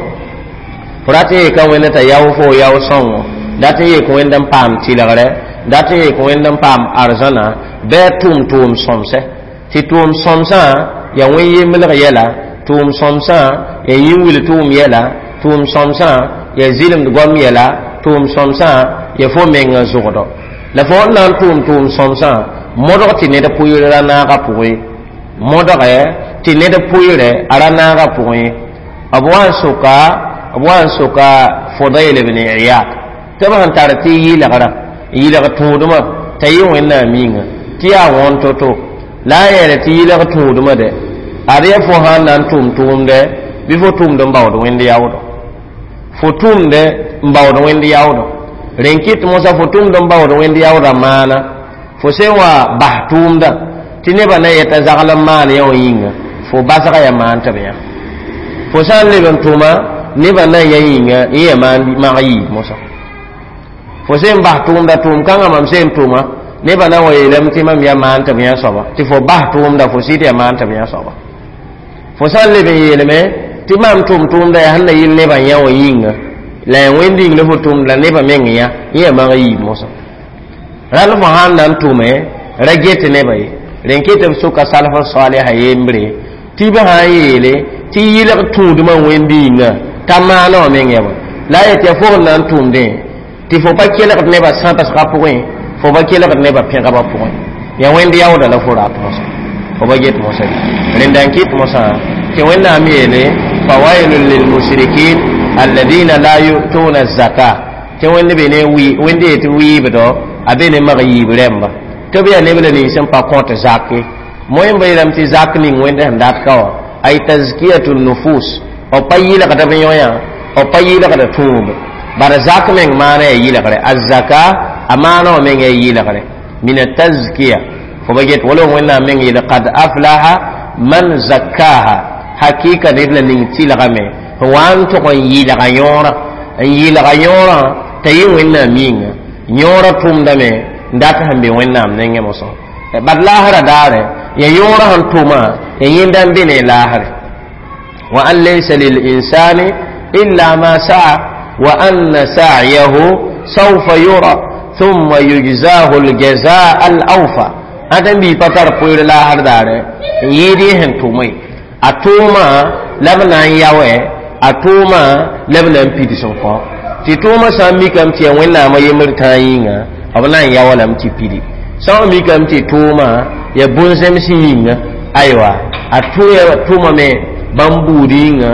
fo rat n yeeka wẽnde t'a yao fo yao sõngo dat n yeek wẽnd n paam tɩlgre dat n yeek wẽnd n paam arzãna bɩ a tʋʋm tʋʋm sõmsɛ tɩ tʋʋm sõmsã ya wẽn yemblg yɛla tʋʋm sõmsã ya yĩn-wil tʋʋm yɛla tʋʋm sõmsã ya zɩlemd goam yɛla tʋʋm sõmsã ya fo mengã zʋgdɔ la fo n na n tʋʋm tʋʋm sõmsã modg tɩ ned pʋɩɩr ra naagã pʋgẽ modgɛ tɩ ned pʋɩɩrɛ a ra naagã pʋgẽ b wa n soka b wa n soka Fudayl ibn Iyad tɩ b sẽn tar tɩ yɩlgrã yɩlg tũudmã t'a yɩ wẽnnaam yĩnga tɩ yaa wõn to-to la a yeele tɩ yɩlg tũudmã dɛ ad yaa fo sãn na n tʋm tʋʋmdɛ bɩ fo tʋmd n baood wẽnd yaoodɔ fo tʋmdɛ n baood wẽnd yaoodɔ rẽn kɩt mosã fo tʋmd n baood wẽnd yaoodã maana fo sẽn wa bas tʋʋmdã tɩ nebã na yɛta zagl n maan yã wã yĩnga fo basga yaa maan tɩ b yã fo sã n leb n tʋma nebã na n ya yĩnga yẽ yaa maan mag yiib mosã fo sẽn bas tʋʋmda tʋʋm kãngã mam sẽn tʋma nebã na n wa yeelame tɩ mam yaa maan tɩ b yã soaba tɩ fo bas tʋʋmda fo sɩd yaa maan tɩ b yã soaba fo sã n leb n yeelame tɩ mam tʋm tʋʋmda yaa sẽn na yɩl nebã yã wã yĩnga la yaa wẽnd yĩng la fo tʋmd la nebã meng yã yẽ yaa mag yiib mosã rãnd fo sãn na n tʋme ra get nebã ye rẽn ket b soka salf saliha yembre tɩ b sã n yeele tɩ yɩlg tũudmã wẽnd yĩnga t'a maana wã meng yaa la a yet yaa fo sẽn na n tʋmdẽ tɩ fo pa kelgd nebã sãbsgã pʋgẽ fo pa kelgd nebã pẽgabã pʋgẽ yaa wẽnd yaooda la fo rat mosã fo pa get mosã rẽnda n kɩt mosã tɩ wẽnnaam yeele fawailun lilmushrikin alladina la yu'tuna zaka tɩ wẽnd be ne wẽnd yetɩ wɩɩbdɔ a be ne mag yiib rẽmba tɩ b yaa neb la nins sẽn pa kõt zak ye moẽmba yeelame tɩ zak ning wẽnd sẽn dat ka wã ay tazkiyatu nufus b pa yɩlgd b yõ-yã b pa yɩlgd tũub bara zak meng maana yaa yɩlgre azaka a maana wã meng yaa yɩlgre min atazkiya fo ba get wala wẽnnaam meng yeele qad aflaha man zakkaha hakika ned la ning tɩlgame sẽn wa n tʋg n yɩlga yõorã n yɩlga yõorã t'a yɩ wẽnnaam yĩnga yõorã tʋmdame n dat sẽn be wẽnnaam nengẽ mosã bad laasrã daare ya yõorã sẽn tʋma ya yẽnda n be ne laasre wa an laysa lilinsani illa ma saa wa anna sa'yahu sawfa yura thumma yujzahu aljazaa alawfa ãdem bii pa tar pʋɩɩr laasr daare n yɩɩd yẽ sẽn tʋme a tʋʋmã la b na n yaoɛ a tʋʋmã la b na n pids n kõ tɩ tʋʋmã sã n mikame tɩ yaa wẽnnaamã yembr tãa yĩnga b na n yao lame tɩ pidi sã n mikame tɩ tʋʋmã yaa bũn-zẽms yĩnga aywa a tʋmame bãmb buud yĩnga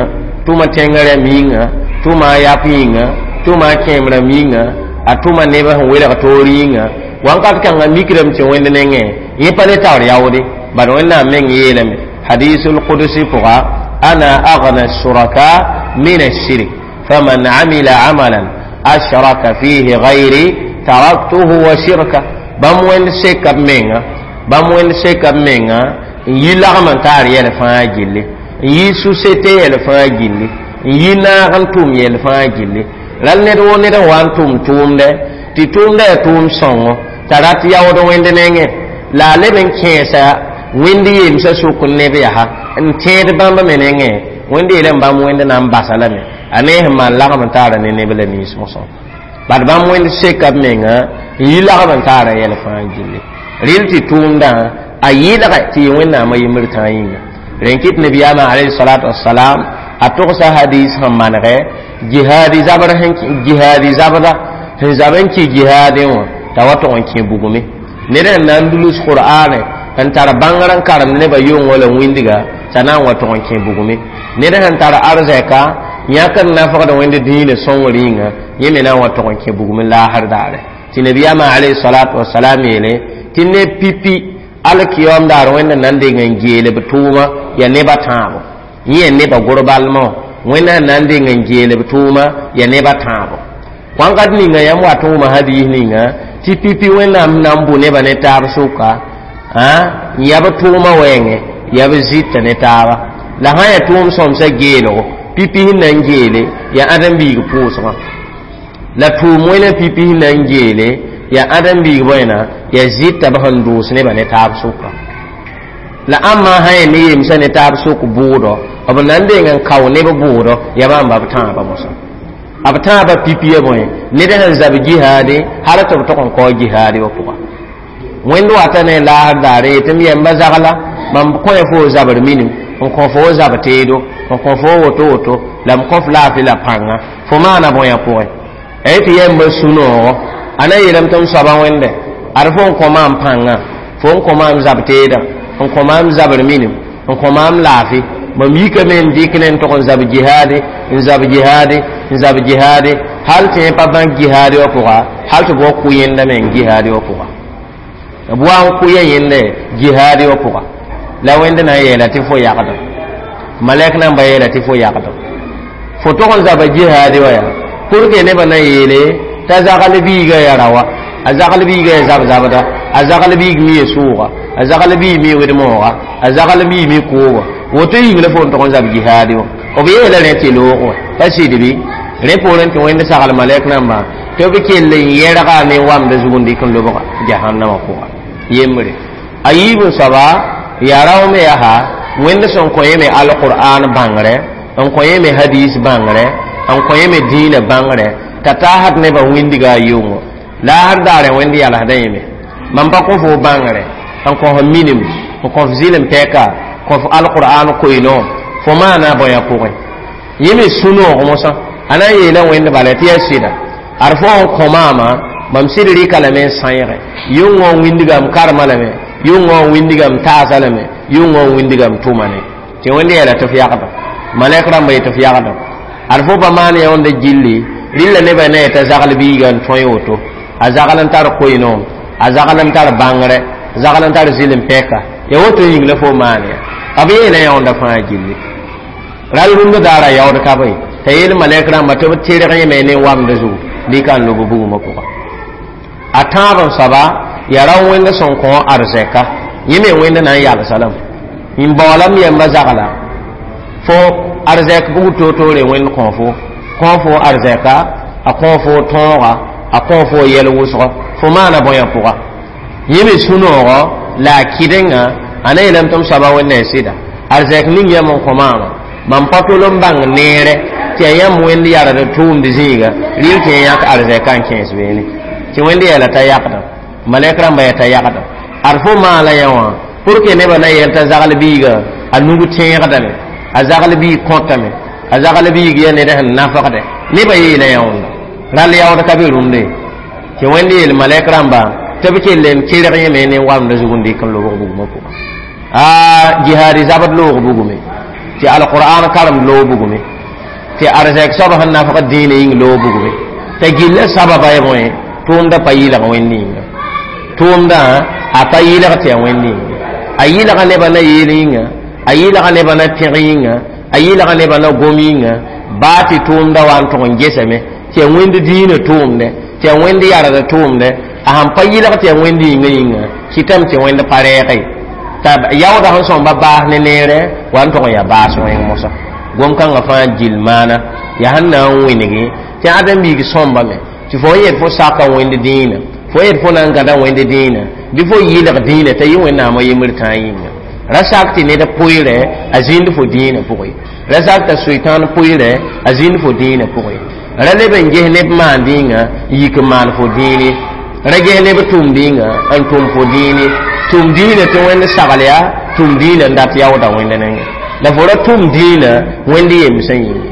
tʋma tẽngã rãmb yĩnga tʋma a yap yĩnga tʋma a kẽem rãmb yĩnga a tʋma nebã sẽn welg toor yĩnga wãnkat kãngã mikrame tɩ wẽnd nengẽ yẽ pa le taoor yaoode bad wẽnnaam meng yeelame hadisul qudsi pʋga ana agna shuraka min ashirk faman amila amalan ashraka fihi gayri taraktuhu wa shirka bãmb wẽnd seka b menga bãmb wẽnd seka b menga n yi lagm n taar yɛl fãa gilli n yi société yɛl fãa gilli n yi naag n tʋm yɛl fãa gilli Ral ned wo ned n wa n tʋm tʋʋmdɛ tɩ tʋʋmdã yaa tʋʋm sõngo t'a rat yaood wẽnd nengẽ la a leb n kẽesa wẽnd yemsã sʋk neb yaa n tẽed bãmb me nengẽ wẽnd yeelame bãmb wẽnd na n basa lame a ne sẽn maan lagm n taara ne neb la nins mosã bad bãmb wẽnd seka b menga n yi lagm n taara yɛl fãa gilli rɩl tɩ tʋʋmdã a yɩlgɛ tɩ yɩ wẽnnaamã yembr tãa yĩnga rẽn kɩt nabiyaamã alayhi salatu wassalam a togsa hadis sẽn manegɛ jihaadi zabr jihaadi zabda sẽn zab n kɩ jihaadẽ wã t'a wa tog n kẽ bugme ned sẽn na n dulus qur'ane n tar bãngr n karemd nebã yʋngã la wĩndga t'a na n wa tog n kẽ bugme ned sẽn tar arzɛka yãk n nafgd wẽnd dĩinã sõngr yĩnga yẽ me na n wa tog n kẽ bugme laasr daare tɩ nabiyaamã alayhi salatu wasalam yeele tɩ ne pipi alkiyom daar wẽnd na n deng n geele b tʋʋma yaa nebã tãabo yẽ yaa nebã gʋrbalmã wẽnd sẽn na n deng n geele b tʋʋma yaa nebã tãabo wãnkat ninga yãmb wat n wʋma hadiis ninga tɩ pipi wẽnnaam na n bʋ nebã ne taab sʋka n yaa b tʋʋma wɛɛngẽ yaa b zɩta ne taaba la sã n yaa tʋʋm sõmsã geelgo pipi sẽn na n geele yaa ãdem-biig pʋʋsgã la tʋʋm wẽna pipi sẽn na n geele yaa ãdem-biig bõena yaa zɩta b sẽn dʋʋs nebã ne taab sʋka la ãmba sã yaa ne yemsã ne taab sʋk bʋʋdɔ b na n deng n kao neb bʋʋdɔ yaa bãmba b tãabã mosã b tãabã pipi ya bõe ned sẽn zab jihaade hal tɩ b tog n kao jihaade wã pʋga wẽnd wata ne laasr daare yetɩ m yɛmba zagla mam kõ ya fo zabr minim n kõ fo zab teedo n kõ fo woto woto la m kõ f laafɩ la pãnga fo maana bõe pʋgẽ a yetɩ yɛmba sũ-noogo a na yeelame tɩ m soaba wẽnde ad fo n kõ maam pãnga fo n kõ maam zab teedã n kõ maam zabr minim n kõ maam laafɩ mam yikame n dɩk ne n tog n zab jihaade n zab jihaade n zab jihaade hal tɩ yẽ pa bãk jihaade wã pʋga hal tɩ b wa kʋ yẽnda me n jihaade wã pʋga b wa n kʋ ya yẽnda jihaade wã pʋga la wẽnd na n yeela tɩ fo yagdem malɛk namba yeela tɩ fo yagdem fo tog n zaba jihaade wã yaa pour que nebã na yeele t'a zagl biiga ya rawa a zagl biiga ya zab-zabda a zagl biig mi ya sʋʋga a zagl biig mi wed-mooga a zagl biig mi kooga woto yĩng la fo n tog n zab jihaade wã b yeela rẽ tɩ loog wã pa sɩd bɩ rẽ poorẽ tɩ wẽnd sagl malɛk namba tɩ b kell n yɛrga ne wamda zug n dɩk n lobga jahannama pʋga yembre a yiib n soaba yaa rao me yaa wẽnd sẽn kõ yẽ me alqur'an bãngrɛ n kõ yẽ me hadis bãngrɛ n kõ yẽ me dĩinã bãngrɛ t'a taasd nebã wĩndga a yʋngo laasr daarẽ wẽnd yalsdã yẽme mam pa kõ fo bãngrɛ n kõ f minim n kõ f zɩlem pɛka kõ f alqur'an koeeno fo maana bõe pʋgẽ yẽ me sũ-noog mosã a na n yeela wẽnd bala tɩ yaa sɩda ad fo n kõ maama mam sɩd rɩka lame n sãeege yʋngã n wĩndga m karema lame yʋngã n wĩndga m taasa lame yʋngã n wĩndga m tʋma ne tɩ wẽnd yeela tɩ f yagda malɛk rãmba yetɩ f yagda ad fo pa maan yãonda gilli rɩlla nebã ne t'a zagl biiga n tõe woto a zagl n tar koeenoom a zagl n tar bãngrɛ zagl n tar zɩlem pɛka ya woto yĩng la fo maan ya b yeela yãonda fãa gilli ral rũndã daara yaood ka bõe t'a yeel malɛk rãmba tɩ b tɩrg yẽme ne wamda zugu dɩka n lob bugmã pʋga a tãab n soaba yaa rao wẽnd sẽn kõ arzɛka yẽ me wẽnd na n yalsa lame n baoolam yɛmba zagla fo arzɛk bug toor-toore wẽnd kõ fo kõ fo arzɛka a kõ fo tõoga a kõ fo yɛl wʋsgɔ fo maana bõe pʋga yẽ me sũ-noogɔ la a kɩdenga a na yeelame tɩ m soaba wẽnda ya sɩda arzɛk ning yãmb n kõ maama mam pa tol n bãng neere tɩ yaa yãmb wẽnd yard tʋʋmd zĩiga rɩl tɩ yẽ yãk arzɛka n kẽes beene tɩ wẽnd yeela t'a yagda malɛk rãmba yaa t'a yagda ad fo maala yã wã pour que nebã na yɛl t'a zagl biiga a nug tẽegdame a zagl biig kõtame a zagl biig yaa ned sẽn nafgdɛ nebã yeela yãonda ral yaood ka be rũmde tɩ wẽnd yeel malɛk rãmba tɩ b kell n kerg yẽme ne wamda zug n dɩk n lobg bugmã pʋga a jihaadi zabd loog bugume tɩ alqur'an karemd loog bugume tɩ arzɛk soab sẽn nafgd dĩinã yĩng loog bugume t'a gilla sababa ya bõe tʋʋmda pa yɩlg wẽnd yĩnga tʋʋmdã a pa yɩlg tɩ yaa wẽnd yĩnga a yɩlga nebã na yeel yĩnga a yɩlga nebã na pẽg yĩnga a yɩlga nebã na gom yĩnga baa tɩ tʋʋmda wa n tʋg n gesame tɩ yaa wẽnd dĩinã tʋʋmdɛ tɩ yaa wẽnd yard tʋʋmdɛ a sãn pa yɩlg tɩ yaa wẽnd yĩnga yĩnga kɩtame tɩ wẽnd pa rɛɛge t'a yaoodã sẽn sõmba baas ne neere wa n tʋg n yaa baas wẽng mosã Gom-kãngã fãa gill maana yaa sẽn na n wẽnege tɩ ãdem-biig sõmbame tɩ fo n yet fo saka wẽnd dĩinã, fo yet fo na n gãda wẽnd dĩinã bɩ fo yɩlg dĩinã t'a yɩ Wẽnnaamã yembr tãa yĩnga. Ra sak tɩ ned pʋɩɩrɛ a zĩnd fo dĩinã pʋgẽ, ra sak t'a soetãan pʋɩɩrɛ a zĩnd fo dĩinã pʋgẽ, ra leb n ges neb maan dĩnga n yik n maan fo dĩine, ra ges neb tʋm dĩnga n tʋm fo dĩine. Tʋm dĩinã tɩ Wẽnd sagl yaa tʋm dĩinã n dat yaooda Wẽnd nengẽ, la fo ra tʋm dĩinã Wẽnd yemsã yĩnge,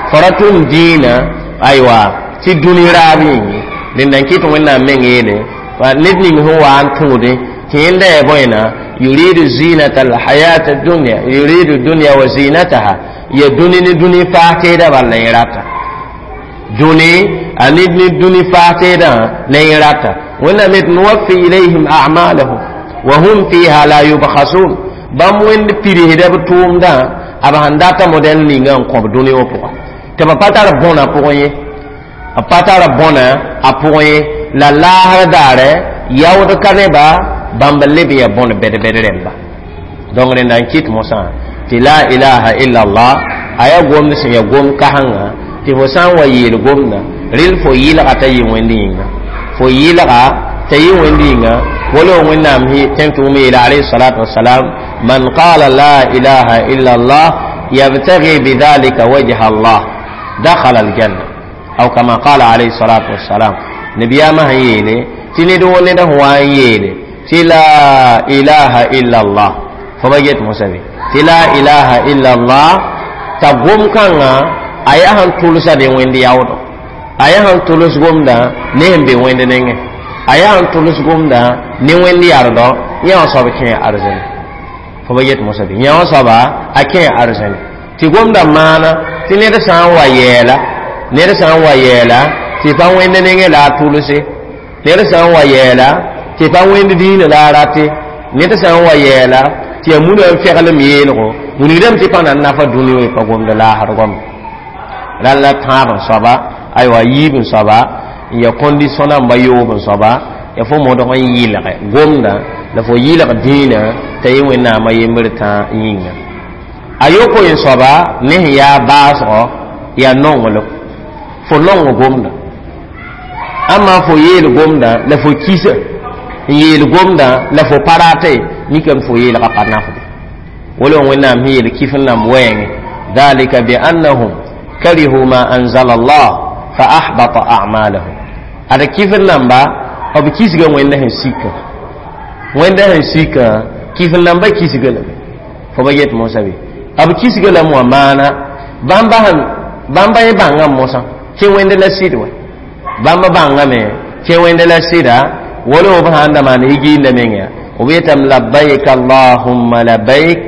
fo ra tʋm dĩinã aywa tɩ dũni raab yĩnge. Rẽnda n kɩt Wẽnnaam meng yeele ned ning sẽn wa n tõode tɩ yẽnda yaa bõena yuridu zinata alhayat dunya, yuridu dunya wa zinataha, ya dũni ne dũni faas teedã bal la yẽ rata dũni a ned ne dũni faas teedã la yẽ rata. Wẽnnaam yet nuwaffi ilayhim a'malahum wa hum fiha la yubkhasun. Bãmb Wẽnd pidsda b tʋʋmdã a b sãn data modɛl ninga n kõb dũni wã pʋga tɩ b pa tar bõna pʋgẽ ye, b pa tar bõna a pʋgẽ ye. La laasr daare yaood ka neba bãmb leb ya bõn bɛd-bɛd rẽmba. Donc rẽnda n kɩt mosã tɩ la ilaha illa allah a yaa gomd sẽn ya gom kasengã tɩ fo sã n wa yeel gomdã rel fo yɩlga t'a yɩ Wẽnd yĩnga, fo yɩlga t'a yɩ Wẽnd yĩnga. Wala Wẽnnaam tẽn tʋʋm yeela alayhi salatu wasalam man qala la ilaha illa allah yabtagi bidhalika wajha allah dakhala aljanna aw kama qala alayhi salatu wasalam. Nabiyaamã sẽn yeele tɩ ned wo ned sẽn wa n yeele tɩ la ilaha illa allah, fo ba get mosã be tɩ la ilaha illa allah t'a gom-kãngã a yaa sẽn tʋlsa be Wẽnd yaoodɔ, a yaa sẽn tʋls gomdã ne sẽn be Wẽnd nengẽ, a yaa sẽn tʋls gomdã ne Wẽnd yardɔ, yã wã soab kẽ arzɛn. Fo ba get mosã be yã wã soaba a kẽ arzɛn tɩ gomdã maana tɩ ned sã n wa yɛɛla, ned sã n wa yɛɛla tɩ pa Wẽnd nengẽ la a tʋlse, ned sã n wa yɛɛla tɩ pa Wẽnd dĩinã la a rate, ned sã n wa yɛɛla tɩ yaa munã n feglem yeelgo wilgdame tɩ pa na n nafa dũni wã pa gomd laasr goam rãll la tãab n soaba aywa yiib n soaba n ya condition namba yoob n soaba ya fo modg n yɩlge gomdã la fo yɩlg dĩinã t'a yɩ Wẽnnaamã yembr tã yĩnga. A yopoe n soaba ne sẽn yaa baasgɔ yaa nonglem, fo nong gomdã amma fo yeel gomdã la fo kisa n yeel gomdã la fo pa rate mikame fo yeelga pa nafde. Wala Wẽnnaam sẽn yeel kif n namb wɛɛngẽ dhalika biannahum karihu ma anzala allah fa ahbata a'malahum. Ada kif n namba b kisga Wẽnda sẽn sika, Wẽnda sẽn sika kif n namba kisga lame. Fo ba get mosã be b kisga lame wã maana bãmba sẽn bãmba yẽ bãngã mosã kẽ Wẽnd la sɩd wa bãmba bãngame kẽ Wẽnd la sɩda. Wala b sãn da maan higiinda menga b yetame labbaik allahumma labbaik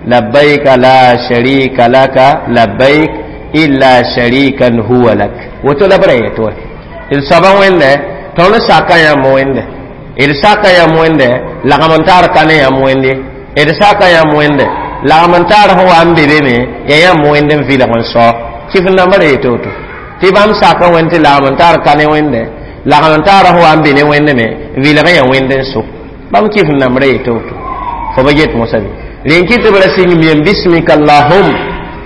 labbaik la sharika laka labbaik illa sharikan huwa lak. Woto la b ra yet wa d soaba Wẽnde tõnd saka yãmb Wẽnde, d saka yãmb Wẽnde lagm n tar ka ne yãmb Wẽnde, d saka yãmb Wẽnde lagm n tar sẽn wa n be be me ya yãmb Wẽnd n vɩlg n sao kɩf n namba ra yet woto tɩ bãmb saka Wẽnd tɩ lagm n tar ka ne Wẽnde lagm n taar sẽn wa n be ne Wẽnd me vɩlg yã Wẽnd n so bãmb kɩf n namb ra yet woto. Fo ba get mosã be rẽn kɩ tɩ b ra sɩng miyam bismika allahum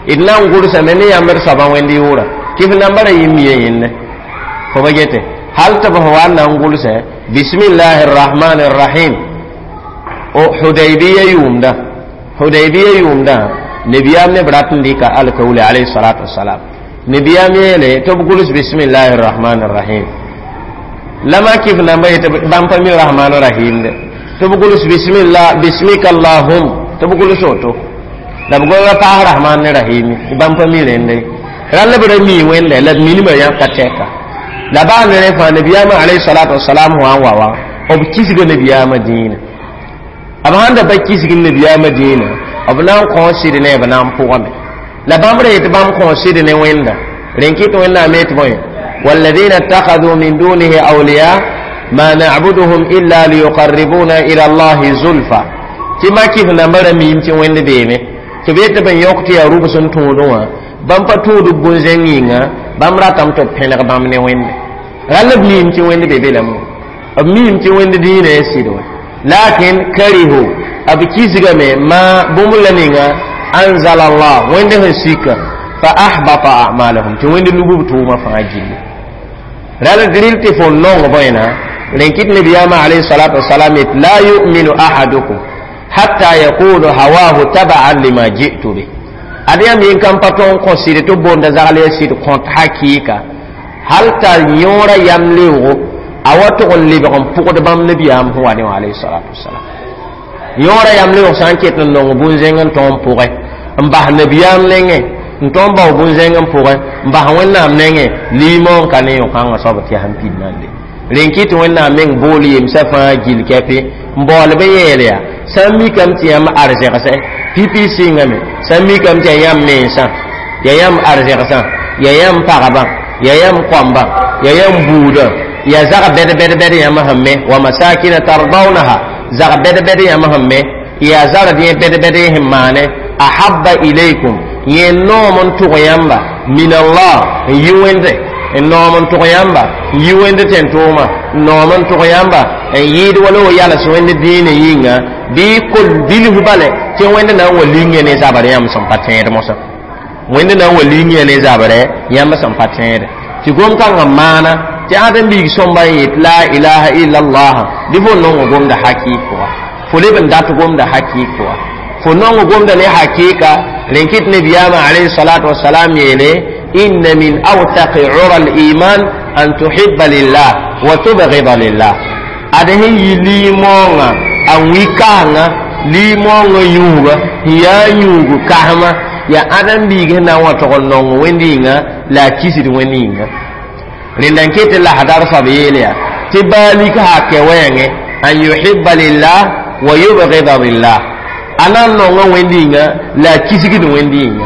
d na n gʋlsame ne yãmb d soabã Wẽnd yʋʋra kɩf namba ra yɩ miya yẽnne. Fo ba gete hal tɩ b sẽn wa n na n gʋlsɛ bismillahi rrahmani rrahim. O Hudaybiya yʋʋmdã, Hudaybiya yʋʋmdã nabiyaam ne b rat n dɩka alkaule alayhi salatu wasalam. Nabiyaam yeele tɩ b gʋls bismillahi rrahmani rrahim la ma kɩf namba yetɩ bãmb pa mi rahman rahim de tɩ b gʋls bismillah bismika allahum tɩ b gʋls woto la b gʋlga paas rahman ne rahimi bãmb pa mi rẽnde rãll b ra mii Wẽnde la b minimã yãka tɛka la baa ne rẽ fãa nabiyaamã alayhi salatu wasalam wã n wa wã b kisga nabiyaamã dĩinã b sãn da pa kisg nabiyaamã dĩinã b na n kõ sɩd ne b na n pʋgame la bãmb ra yetɩ bãmb kõ sɩd ne Wẽnda rẽn kɩt Wẽnnaam yetɩ bõe والذين اتخذوا من دونه أولياء ما نعبدهم إلا ليقربونا إلى الله زلفى tɩ ma kɩf nambã ra miim tɩ Wẽnd beeme tɩ b yetɩ b n yõk tɩ yaa rʋbs n tõodẽ wã bãmb pa tũud b bũn-zẽng yĩnga bãmb ratame tɩ b pẽneg bãmb ne Wẽnde rall b miim tɩ Wẽnd be be lame b miim tɩ Wẽnd dĩinã ya sɩd wã lakin karihu b kisgame ma bũmb la ninga anzala allah Wẽnd sẽn sika. Fa ahbata a'malahum, tɩ wẽnd lugb tʋʋmã fãa gilli. Ral rɩl tɩ fo nong bõena rẽn kɩt nabiyaamã alayhi salatu wasalam yet: la yuminu ahadukum hatta yakunu hawahu tabaan lima ji'tu bih. Ad yãmb yẽn kan pa tõog n kõ sɩd tɩ b boonda zagl ya sɩd kõt hakɩɩka hal t'a yõora yam leoogo a wa tʋg n lebg n pʋgd bãmb nabiyaam sẽn wa ne wã alayhi salatu wasalam. Yõora yam leoog sã n ket n nong bũn-zẽng n tõog n pʋgẽ n bas nabiyaam nengẽ, n tõog n bao bũn-zẽng n pʋgẽ n bas wẽnnaam nengẽ, liimoog ka ne yõ-kãngã soab tɩ yaa sẽn pid nande. Rẽn kɩ tɩ wẽnnaam meng bool yemsã fãa gil kɛpɩ n baool b yeel yaa sã n mikame tɩ yãmb arzɛgsɛ pipi sɩngame, sã n mikame tɩ yaa yãmb mensã, yaa yãmb arzɛgsã, yaa yãmb pagba, yaa yãmb koambã, yaa yãmb buudã, yaa zag bɛd bɛd bɛd yãmb sẽn me, wa masakina tardawnaha, zag bɛd bɛd yãmb sẽn me, yaa zard yẽ bɛd bɛd sẽn maane, ahabba ilaykum, yẽ noom n tʋg yãmba, min Allah, n yi wẽnde n noom n tʋg yãmba, n yi wẽnd tẽn-tʋʋma, n noom n tʋg yãmba n yɩɩd wala wa yals wẽnd dĩinã yĩnga bɩ kol bilf bale tɩ wẽnd na n wa ling ne zabr yãmb sẽn pa tẽed mosã, wẽnd na n wa ling ne zabrɛ yãmb sẽn pa tẽede. Tɩ gom-kãngã maana tɩ ãdem-biig sõmba n yet la ilaha illallah bɩ fo nong gomda hakɩɩk pʋga, fo leb n dat gomda hakɩɩk pʋga, fo nong gomda ne hakɩɩka. Rẽn kɩt nabiyaamã alayhi salatu wasalam yeele: inna min awtaqi ura al-iman an tuhibba lillah wa tubghida lillah. Ad sẽn yi liimoongã a wi kaanga liimoongã yũuga sẽn yaa yũug kasma yaa ãdem-biig sẽn na n wa tog n nong wẽnd yĩnga la a kisd wẽnd yĩnga. Rẽnda n ket lasdar soab yeel yaa tɩ baalik hakɛ wɛɛngẽ an yuhibba lillah wa yubghida lillah, a na n nonga wẽnd yĩnga la a kisgd wẽnd yĩnga.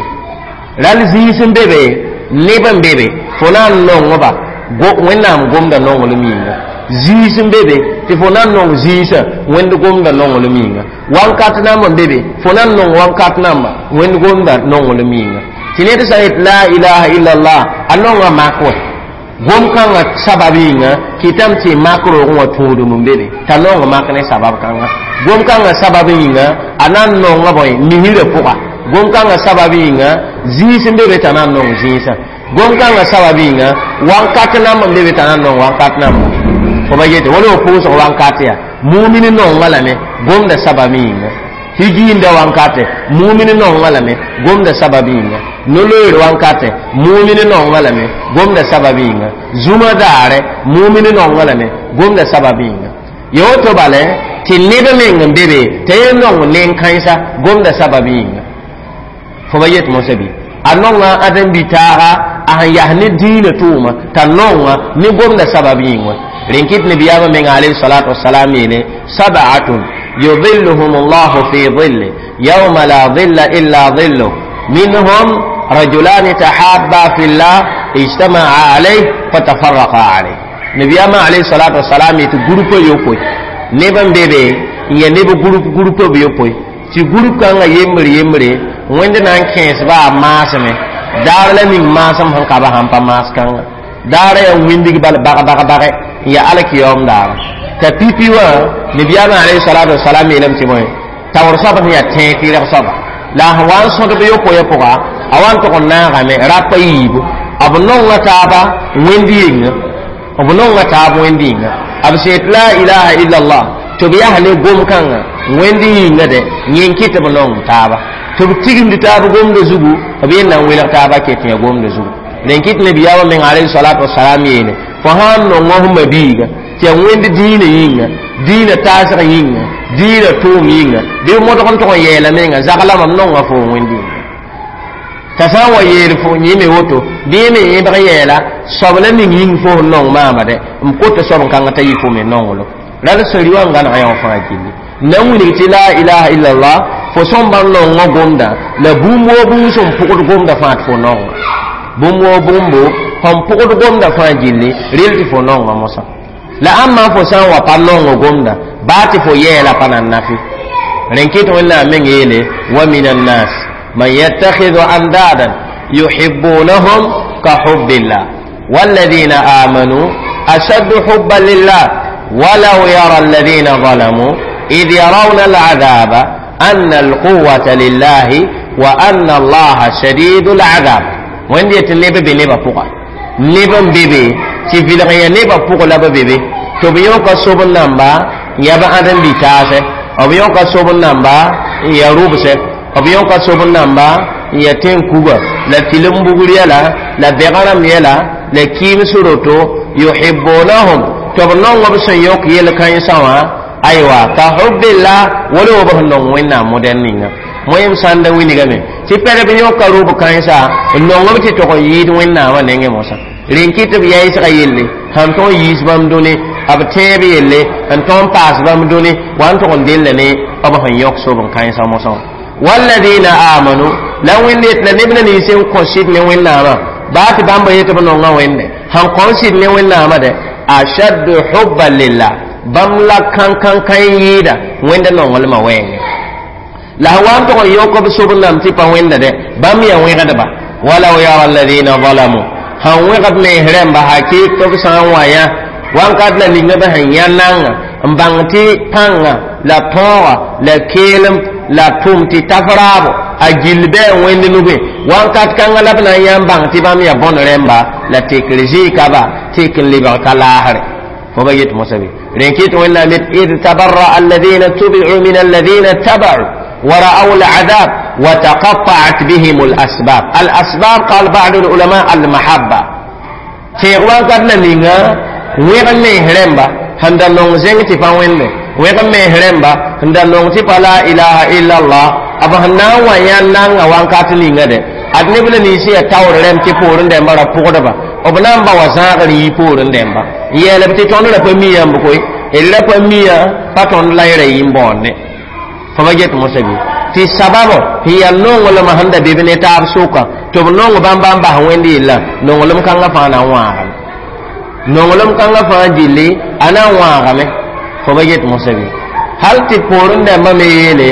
Ral zĩis n be be, neb n be be, fo na n nongba wẽnnaam gomda nonglem yĩnga. Zĩis n be be tɩ fo na n nong zĩisã wẽnd gomda nonglem yĩnga. Wankat namba n be be, fo na n nong wankat namba wẽnd gomda nonglem yĩnga. Tɩ ned sã yet la ilaha illallah a nonga mak wɛ gom-kãngã sabab yĩnga kɩtame tɩ mak roogẽ wã tũudum n be be t'a nong mak ne sabab kãnga. Gom-kãngã sabab yĩnga a na n nonga bõe misrã pʋga. Gom-kãngã sabab yĩnga zĩis n be be t'a na n nong zĩisã. Gom-kãngã sabab yĩnga wankat namba n be be t'a na n nong wankat namba. Fo ba yete wala fo pʋʋsg wankat yaa mumin nonga lame gomda sabab yĩnga, higiinda wankate mumin nonga lame gomda sabab yĩnga, no-loeer wankate mumin nonga lame gomda sabab yĩnga, zũma daare mumin nonga lame gomda sabab yĩnga. Ya woto bale tɩ neb meng n be be t'a yẽ nong nen-kãensa gomda sabab yĩnga. Fo ba yet mosã bɩ a nonga ãdem-bi-taaga a sẽn yas ne dĩinã tʋʋma t'a nonga ne gomda sabab yĩng wã. Rẽn kɩt nabiyaamã meng alayhi salatu wasalam yeele: sab'atun yudhilluhum allahu fi dhilli yawma la dhilla illa dhilluh, minhum rajulani tahabba fi llah ijtama'a alayh fatafarraqa alayh. Nabiyaamã alayhi salatu wasalam yetɩ groupe yopoe neb n be be n ya neb groupe groupe b yopoe tɩ groupe kãngã yembre yembre wẽnd na n kẽesba a maasme daar la ning maasem sẽn ka ba sãn pa maas kãnga daara yaa windig bal bag bag bage n yaa alkiyaoom daara t'a pipi wã. Nabiyaamã alayhi salatu wasalam yeelame tɩ bõe taoor soab sẽn yaa tẽeg tɩrg soaba la a sẽn wa n sõdb yopoe pʋga a wa n tʋg n naagame rapa yiibu b nonga taaba wẽnd yĩnga, b nonga taab wẽnd yĩnga, b sẽn yet la ilaha illallah tɩ b yaa ne gom-kãngã wẽnd yĩnga dɛ yẽ n kɩ tɩ b nong taaba tɩ b tigimd taab gomda zugu, b yẽ na n welg taaba ket yã gomda zugu. Rẽn kɩt nabiyaamã meng alayhi salatu wasalam yeele fo sã n nonga f mabiiga tɩ yaa wẽnd dĩinã yĩnga, dĩinã taasg yĩnga, dĩinã tʋʋm yĩnga, bɩ modg n tʋg n yɛɛla menga zagla mam nonga fo wẽnd yĩnga t'a sã n wa yeel fo yẽme woto bɩ yẽ me yẽbg yɛɛla soab la ning yĩng fo sẽn nong maama dɛ m kota soab n kãngã t'a yɩ fo me nonglo ral sẽn wã n gãneg yã wã fãa gilli na n wilg tɩ la ilaha illallah fo sõmba n nongã gomda la bũmb woo bũmb sẽn pʋgd gomda fãa tɩ fo nonga bũmb woo bũmbo sẽn pʋgd gomda fãa gilli rel tɩ fo nonga mosã la ãmba fo sã n wa pa nong gomda baa tɩ fo yɛɛla pa na n nafe. Rẽn kɩt wẽnnaam meng yeele: wa min annas man yattakhidhu andadan yuhibbunahum ka hubbillah walladhina amanu ashaddu hubban lillah ولو يرى الذين ظلموا إذ يرون العذاب أن القوة لله وأن الله شديد العذاب. Wẽnd yetɩ neb be nebã pʋga neb n be be tɩ vɩlg n yaa nebã pʋg la b be be tɩ b yõka sob n namba n yaa b ãdem bi-taasɛ b yõka sob n namba n yaa rʋbsɛ b yõka sob n namba n yaa tẽn-kuga la tɩlem bugr yɛla la bɛg rãmb yɛla la kɩɩms roto yuhibbunahum tɩ b nong b sẽn yõk yel-kãensã wã aywa ka hubbillah wala b sẽn nong wẽnnaam modɛl ninga moyem sãn da wilgame tɩ pɛd b yõka rʋb kãensa n nong b tɩ tog n yɩɩd wẽnnaamã nengẽ mosã rẽn kɩ tɩ b yaɩsga yelle sãn tõog yiis bãmb dũni b tẽeb yelle n tõog n paas bãmb dũni wa n tog n della ne b sẽn yõk sob n kãensã mosã wã walladina amanu la wẽnd yet la neb na nins n kõ sɩd ne wẽnnaamã baa tɩ bãmba yetɩ b nonga wẽnde sãn kõ sɩd ne wẽnnaamã dɛ ashaddu hubban lillah bãmb la kãn-kãn-kãn yɩɩda wẽnda nonglmã wɛɛngẽ la sã wa n tog n yõk b sob n nam tɩ pa wẽnda dɛ bãmb yaa wẽgdba walaw yara alladina zalamu sãn wẽgd mens rãmba hakɩk tɩ b sã n wa yã wãnkat la ninga b sẽn yã nanga n bãng tɩ pãnga la tõoga la keelem la tʋm tɩ taf raabo a gill bɩ a wẽnd nugẽ wãnkat kãngã la b na n yã n bãng tɩ bãmb yaa bõn rẽmba la tekr zɩɩka ba tek n lebg ka laasre fo ba yet mosã be rẽn kɩt wẽnnaam yet id tabarra alladina tubi'u min alladina taba'u ورأوا العذاب وتقطعت بهم الأسباب الأسباب قال بعض العلماء المحبة تيغوان قد نيغا ويغن مي هرمبا هندا نون زنگ تي فا وينde ويغن مي هرمبا هندا نون تي لا إله إلا الله أبا هنا ويان نanga وان كاتلينغا de ad neb la ninsi ya taoor rẽmb tɩ poorẽ dẽmba ra pʋgdba b na n ba wa zãagr yɩ poorẽ dẽmba n yeelb tɩ tõnd ra pa mi yãmb koe d ra pa miya pa tõnd la y ra yɩ n bõonde fo ba get mosã bɩ tɩ sababo sẽn yaa nonglmã sẽn da be b ne taab sʋka tɩ b nong bãmb bãmb bas wẽnd yella nonglem kãngã fãa na n wãagame nonglem kãngã fãa gilli a na n wãagame fo ba get mosã bɩ hal tɩ poorẽ dãmbã me yeele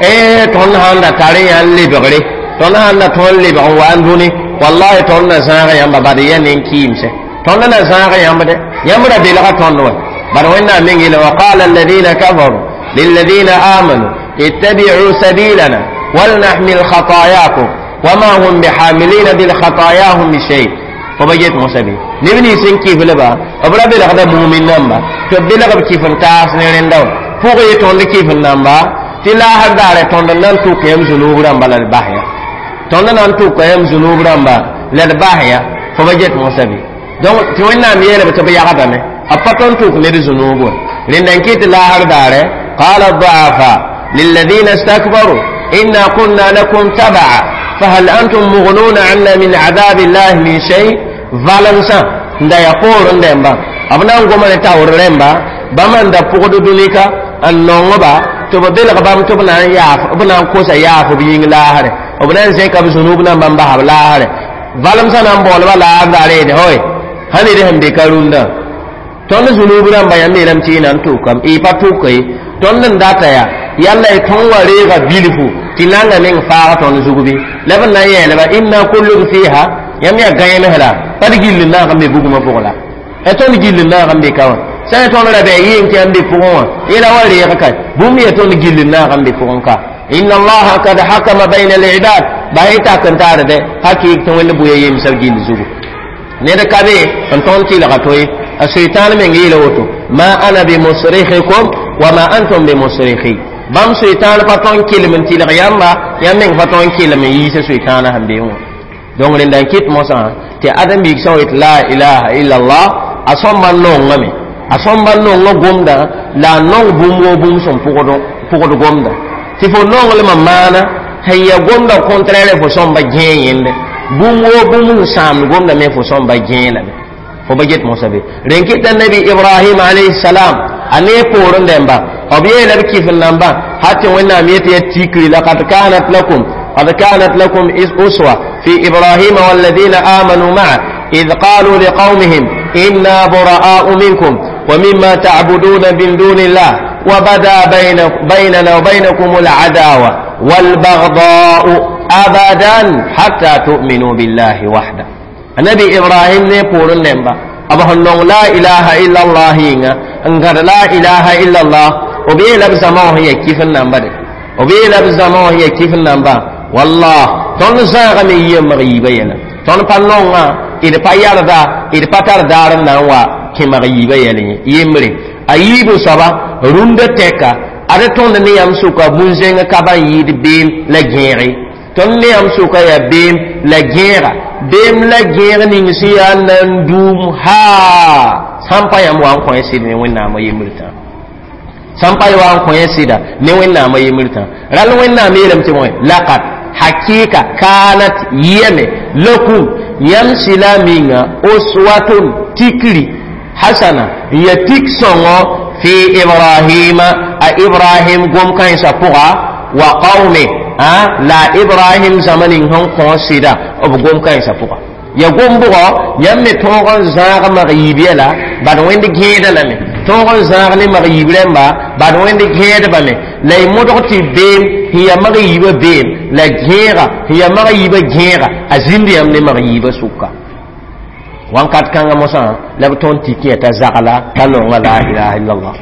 ee tõnd sãn da tar yã n lebgre tõnd sãn da tõnd lebg n wa n dũni wallahi tõnd na zãag yãmba bad ya nen-kɩɩmsɛ tõnd na zãag yãmb dɛ yãmb ra belga tõnd wa bad wẽnnaam meng yeele wa qala alladina kafaru lilladina amanu اتبعوا سبيلنا ولنحمل خطاياكم وما هم بحاملين بالخطاياهم بشيء فبجيت موسى نبني سن كيف لبا أبرا بلغ مؤمن نمبا تبلغ كيف تاس نرندو فوق يتون كيف نمبا تلا هدار تون نان تو كيم زنوب رمبا للباحيا تون نان تو كيم زنوب رمبا للباحيا فبجيت موسى بي donc ti wẽnnaam yeelame tɩ b yagdame b pa tõnd tʋk ned zunub wa rẽnda n kɩt laasr daare qala ضعفا للذين استكبروا إنا كنا لكم تبعا فهل أنتم مغنون عنا من عذاب الله من شيء valensa nda ya poorẽ dẽmba b na n goma ne taoor rẽmba bãmb n da pʋgd dũnika n nongba tɩ b belg bãmb tɩ b na n yaaf b na n kosa yaaf b yĩng laasre b na n zẽka b zunub nambã n bas b laasre valemsã na n baoolba laar daare yeede hoy sã ned sẽn be ka rũndã tõnd zunub rãmba yãmb yeelame tɩ y na n tʋkame y pa tʋka ye tõnd n data yaa yalla y tõnd wa reega bilfu tɩ nanga meng faag tõnd zug bɩ la b na n yeelba inna kullun fiha yãmb yaa gãeemsda pa d gill n naag n be bugmã pʋgẽ la ya tõnd gill n naag n be ka wã sã n tõnd ra bɩ a yɩng tɩ yãmb be pʋgẽ wã yẽla wa reeg ka bũmb yaa tõnd gill n naag n be pʋgẽ ka inna allaha kad hakama bayna al-ibad ba y tak n taarde hakɩɩk tɩ wẽnd bʋya yemsã gill zugu ned ka be n tõnd tɩlga to ye a sʋɩtãan meng yeela woto ma ana bimusrikhikum wa ma antum bimusrikhi bãmb sʋɩtãan pa tõn kelem n tɩlg yãmba yãmb meng pa tõn kelem n yiisa sʋɩtãanã sẽn be wã donc rẽnda n kɩt mosã tɩ ãdem-biig sã n yet la ilaha illallah a sõmba n nongame a sõmba n nongã gomda la a nong bũmb woo bũmb sẽn pʋgd gomda tɩ fo nonglmã maana sẽn ya gomda contraire fo sõmba gẽe yẽnde bũmb woo bũmb sẽn sãamd gomda me fo sõmba gẽe lame fo ba get mosã be rẽn kɩta nabi ibrahim alayhi salam a ne poorẽ dẽmba b yeela b kɩf n namba ha tɩ wẽnnaam yet ya tikri laqad kanat lakum قد كانت لكم أسوة في إبراهيم والذين آمنوا معه إذ قالوا لقومهم إنا براء منكم ومما تعبدون من دون الله وبدا بين بيننا وبينكم العداوة والبغضاء أبدا حتى تؤمنوا بالله وحده النبي إبراهيم نقول النبا أبو لا إله إلا الله إن لا إله إلا الله وبي لبس ما هي كيف النمبر وبي لبس ما هي كيف النمبر والله tõnd zãagame yɩ yembg yiibã yɛla Tõnd pa nonga, d pa yarda, d pa tar daar n na n wa kẽ mag yiibã yɛl ye. Yembre a yiibu soaba rũndã tɛka ad tõnd ne yãmb sʋka bũn-zẽng ka ban yɩɩd beem la gẽege. Tõnd ne yãmb sʋka yaa beem la gẽega, beem la gẽeg ning sẽn yaa n na n duum haa sãn pa yãmb wa n kõ sɩd ne Wẽnnaamã yembr tã, sãn pa wa n kõ sɩda ne Wẽnnaamã yembr tã. Rall Wẽnnaam yeelame tɩ bõe laqad hakika kanat yɛme lakum yãmb sɩla minga uswatun tikri hasana n ya tik sõngo fi Ibrahima a Ibrahim gom kãensã pʋga wa qaume la Ibrahim zãma ning sẽn kõ sɩda b gom kãensã pʋga. Ya gom bʋgɔ yãmb me tõog n zãag mag yiib yɛla bad Wẽnd gẽeda lame, tõog n zãag ne mag yiib rãmba bad Wẽnd gẽedbame la y modg tɩ beem sẽn ya mag yiibã beem la gẽega sẽn ya mag yiibã gẽega a zĩnd yãmb ne mag yiibã sʋka. Wãnkat kãngã mosã la b tõnd tik yã t'a zagla t'a nonga la ilaha illallah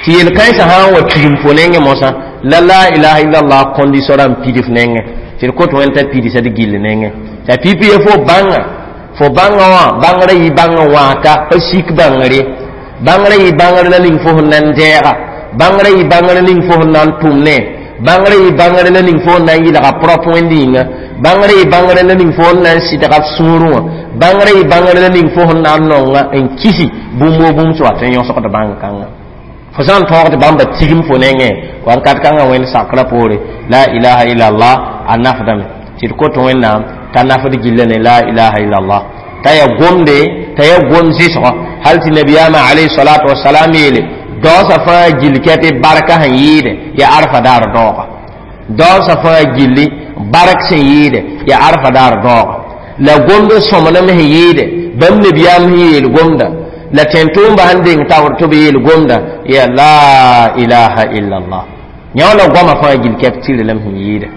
tɩ yel-kãensã sã n wa tigim fo nengẽ mosã la la ilaha illallah condition rãmb pidf nengẽ tɩ d kot Wẽnd t'a pidsa d gill nengẽ t'a pipi ye fo bãnga fo bãnga wã bãngrã yɩ bãnga wãata pa sik bãngre, bãngrã yɩ bãngr la ning fo sẽn na n dɛɛga, bãngrã yɩ bãngr ning fo sẽn na n tʋm ne, bãngrã yɩ bãngr la ning fo sẽn na n yɩlga prop Wẽnd yĩnga, bãngrã yɩ bãngr la ning fo sẽn na n sɩdga f sũurẽ wã, bãngrã yɩ bãngr la ning fo sẽn na n nonga n kisi bũmb wo bũmb sẽn wat n yõsgd bãng kãnga fo sã n tõog tɩ bãmba tigim fo nengẽ wãnkat kãngã Wẽnd sakrã poore la ilaha illallah a nafdame tɩ d kot Wẽnnaam t'a nafd gilla ne la ilaha illallah t'a ya gomde t'a ya gom zɩsgɔ hal tɩ nabiyaamã alayhi salatu wasalam yeele daoosã fãa gill kɛtɩ barka sẽn yɩɩde ya arfa daar daooga, daoosã fãa gilli bark sẽn yɩɩde ya arfa daar daooga la gomd sõmblem sẽn yɩɩde bãmb nabiyaam sẽn yeel gomda la tẽn-tʋʋmba sẽn deng taoor tɩ b yeel gomda ya la ilaha illallah yã la goamã fãa gill kɛp tɩrlem sẽn yɩɩde.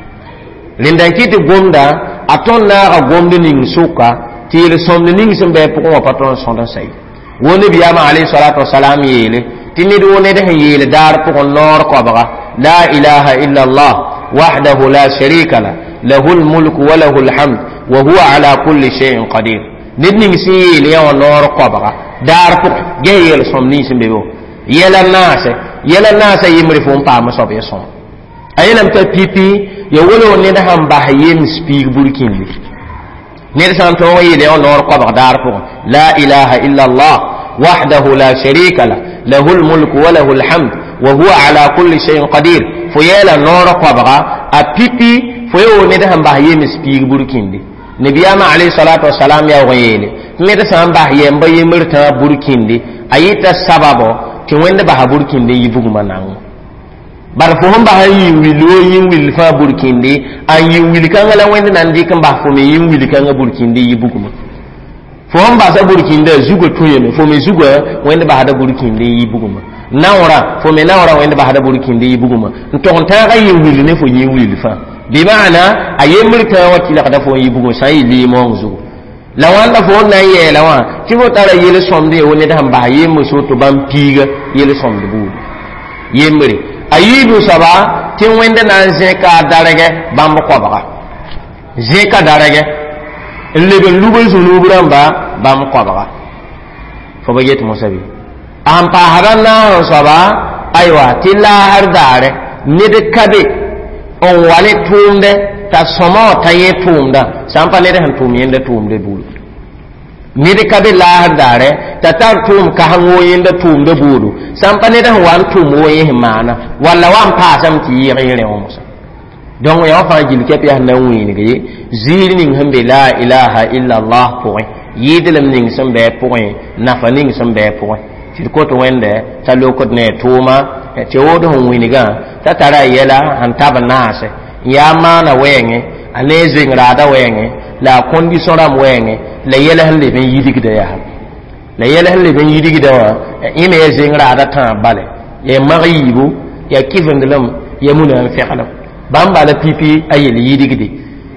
Rẽnda n kɩ tɩ gomda a tõnd naaga gomd ning sʋka tɩ yel-sõmd ning sẽn bɩ pʋgẽ wã pa tõnd sõd n sa ye. Wo nabiyaamã alayhi salatu wasalam yeele tɩ ned wo ned sẽn yeel daar pʋgẽ noor koabga la ilaha illallah wahdahu la sharika la lahu lmulku wa lahu lhamd wa huwa ala kulli shay'in qadir. Ned ning sẽn yeel yã wã noor koabga daar pʋgẽ ges yel-sõmd ning sẽn be be yɛla naase yɛla naasã yembre fo n paam soab ya sõm a yeelame t'a pipi ya wolo ned sãn bas yems piig burkĩndi ned sã n tõog n yeel yã noor koabg daar pʋgẽ la ilaha illallah wahdahu la sharika la lahu lmulku wa lahu lhamd wa huwa ala kulli shay'in qadir fo yeela noor koabga a pipi fo ye wo ned sãn bas yems piig burkĩndi. Nabiyaamã alayhi salatu wasalam yaoog n yeele ned sã n bas yɛmba yembr tãa burkĩndi a yɩta sababo tɩ Wẽnd basa burkĩndi n yi bugmã nango bar fo sẽn bas n yɩ wil wo yĩn wil fãa burkĩndi a n yɩ wil kãngã la Wẽnd na n dɩk n bas fo me yĩn wil kãngã burkĩndi yi bugmã fo sẽn basa burkĩndã zugã tũ yeme fo me zugã Wẽnd basda burkĩndi n yi bugmã naoorã fo me naoorã Wẽnd basda burkĩndi yi bugmã n tog n tãagã yĩn wil ne fo yĩn wil fãa bɩ maana a yembr tãa wã tɩlgda fo n yi bugmã sã n yɩ lɩɩmoong zugu la wãnda fo n na n yɛɛla wã tɩ fo tara yel-sõmd ye wo ned sẽn bas yembr soto bãmb piiga yel-sõmd buudu yembre a yiibu soaba tɩ Wẽnd na n zẽka a dargɛ bãmb koabga zẽka dargɛ n leb n lub n zũnuub rãmba bãmb koabga fo ba yet mosã bɩ a sẽn paasda naas n soaba aywa tɩ laasr daare ned ka be n wa ne tʋʋmdɛ t'a sõma wã t'a yẽ tʋʋmdã sã n pa ned sẽn tʋʋm yẽnda tʋʋmdã buudu ned ka be laasr daare t'a tar tʋʋm kaseng wo yẽnda tʋʋmdã buudu sã n pa ned sẽn wa n tʋʋm wo yẽ sẽn maana walla wa n paasame tɩ yɩɩg yẽ rẽ wã mosã. Donc yã wã fãa gill kɛp yaa sẽn na n wĩineg ye ziir ning sẽn be la ilaha illallah pʋgẽ yɩɩdlem ning sẽn bɩ pʋgẽ nafa ning sẽn bɩ pʋgẽ tɩ d kot Wẽnde t'a lokd ne tʋʋma tɩ wood sẽn wĩnigã t'a tara a yɛla sẽn tab naase n yaa maana wɛɛngẽ a ne zoeng raada wɛɛngẽ la a condition rãmb wɛɛngẽ la yɛl sẽn leb n yidgda yaa la yɛl sẽn leb n yidgda wã yẽ me ya zeng raada tãab bale ya mag yiibu ya kɩvendlem ya muna n fɛglem bãmba la pipi a yel yidgde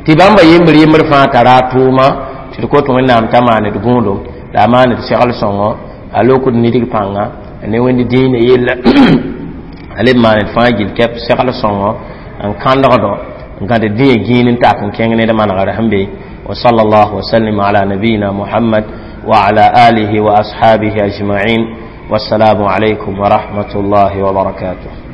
tɩ bãmba yembr yembr fãa tara a tʋʋma tɩ d kot Wẽnnaam t'a maan d gũudum la a maan d segl sõngo a lokd nidg pãnga ne Wẽnd dĩinã yella a leb maan d fãa gill kɛp segl sõngo n kãndgdo n gãd dĩyã gĩin n tak n kẽng ned manegr sẽn be. وصلى الله وسلم على نبينا محمد وعلى آله وأصحابه أجمعين. والسلام عليكم ورحمة الله وبركاته.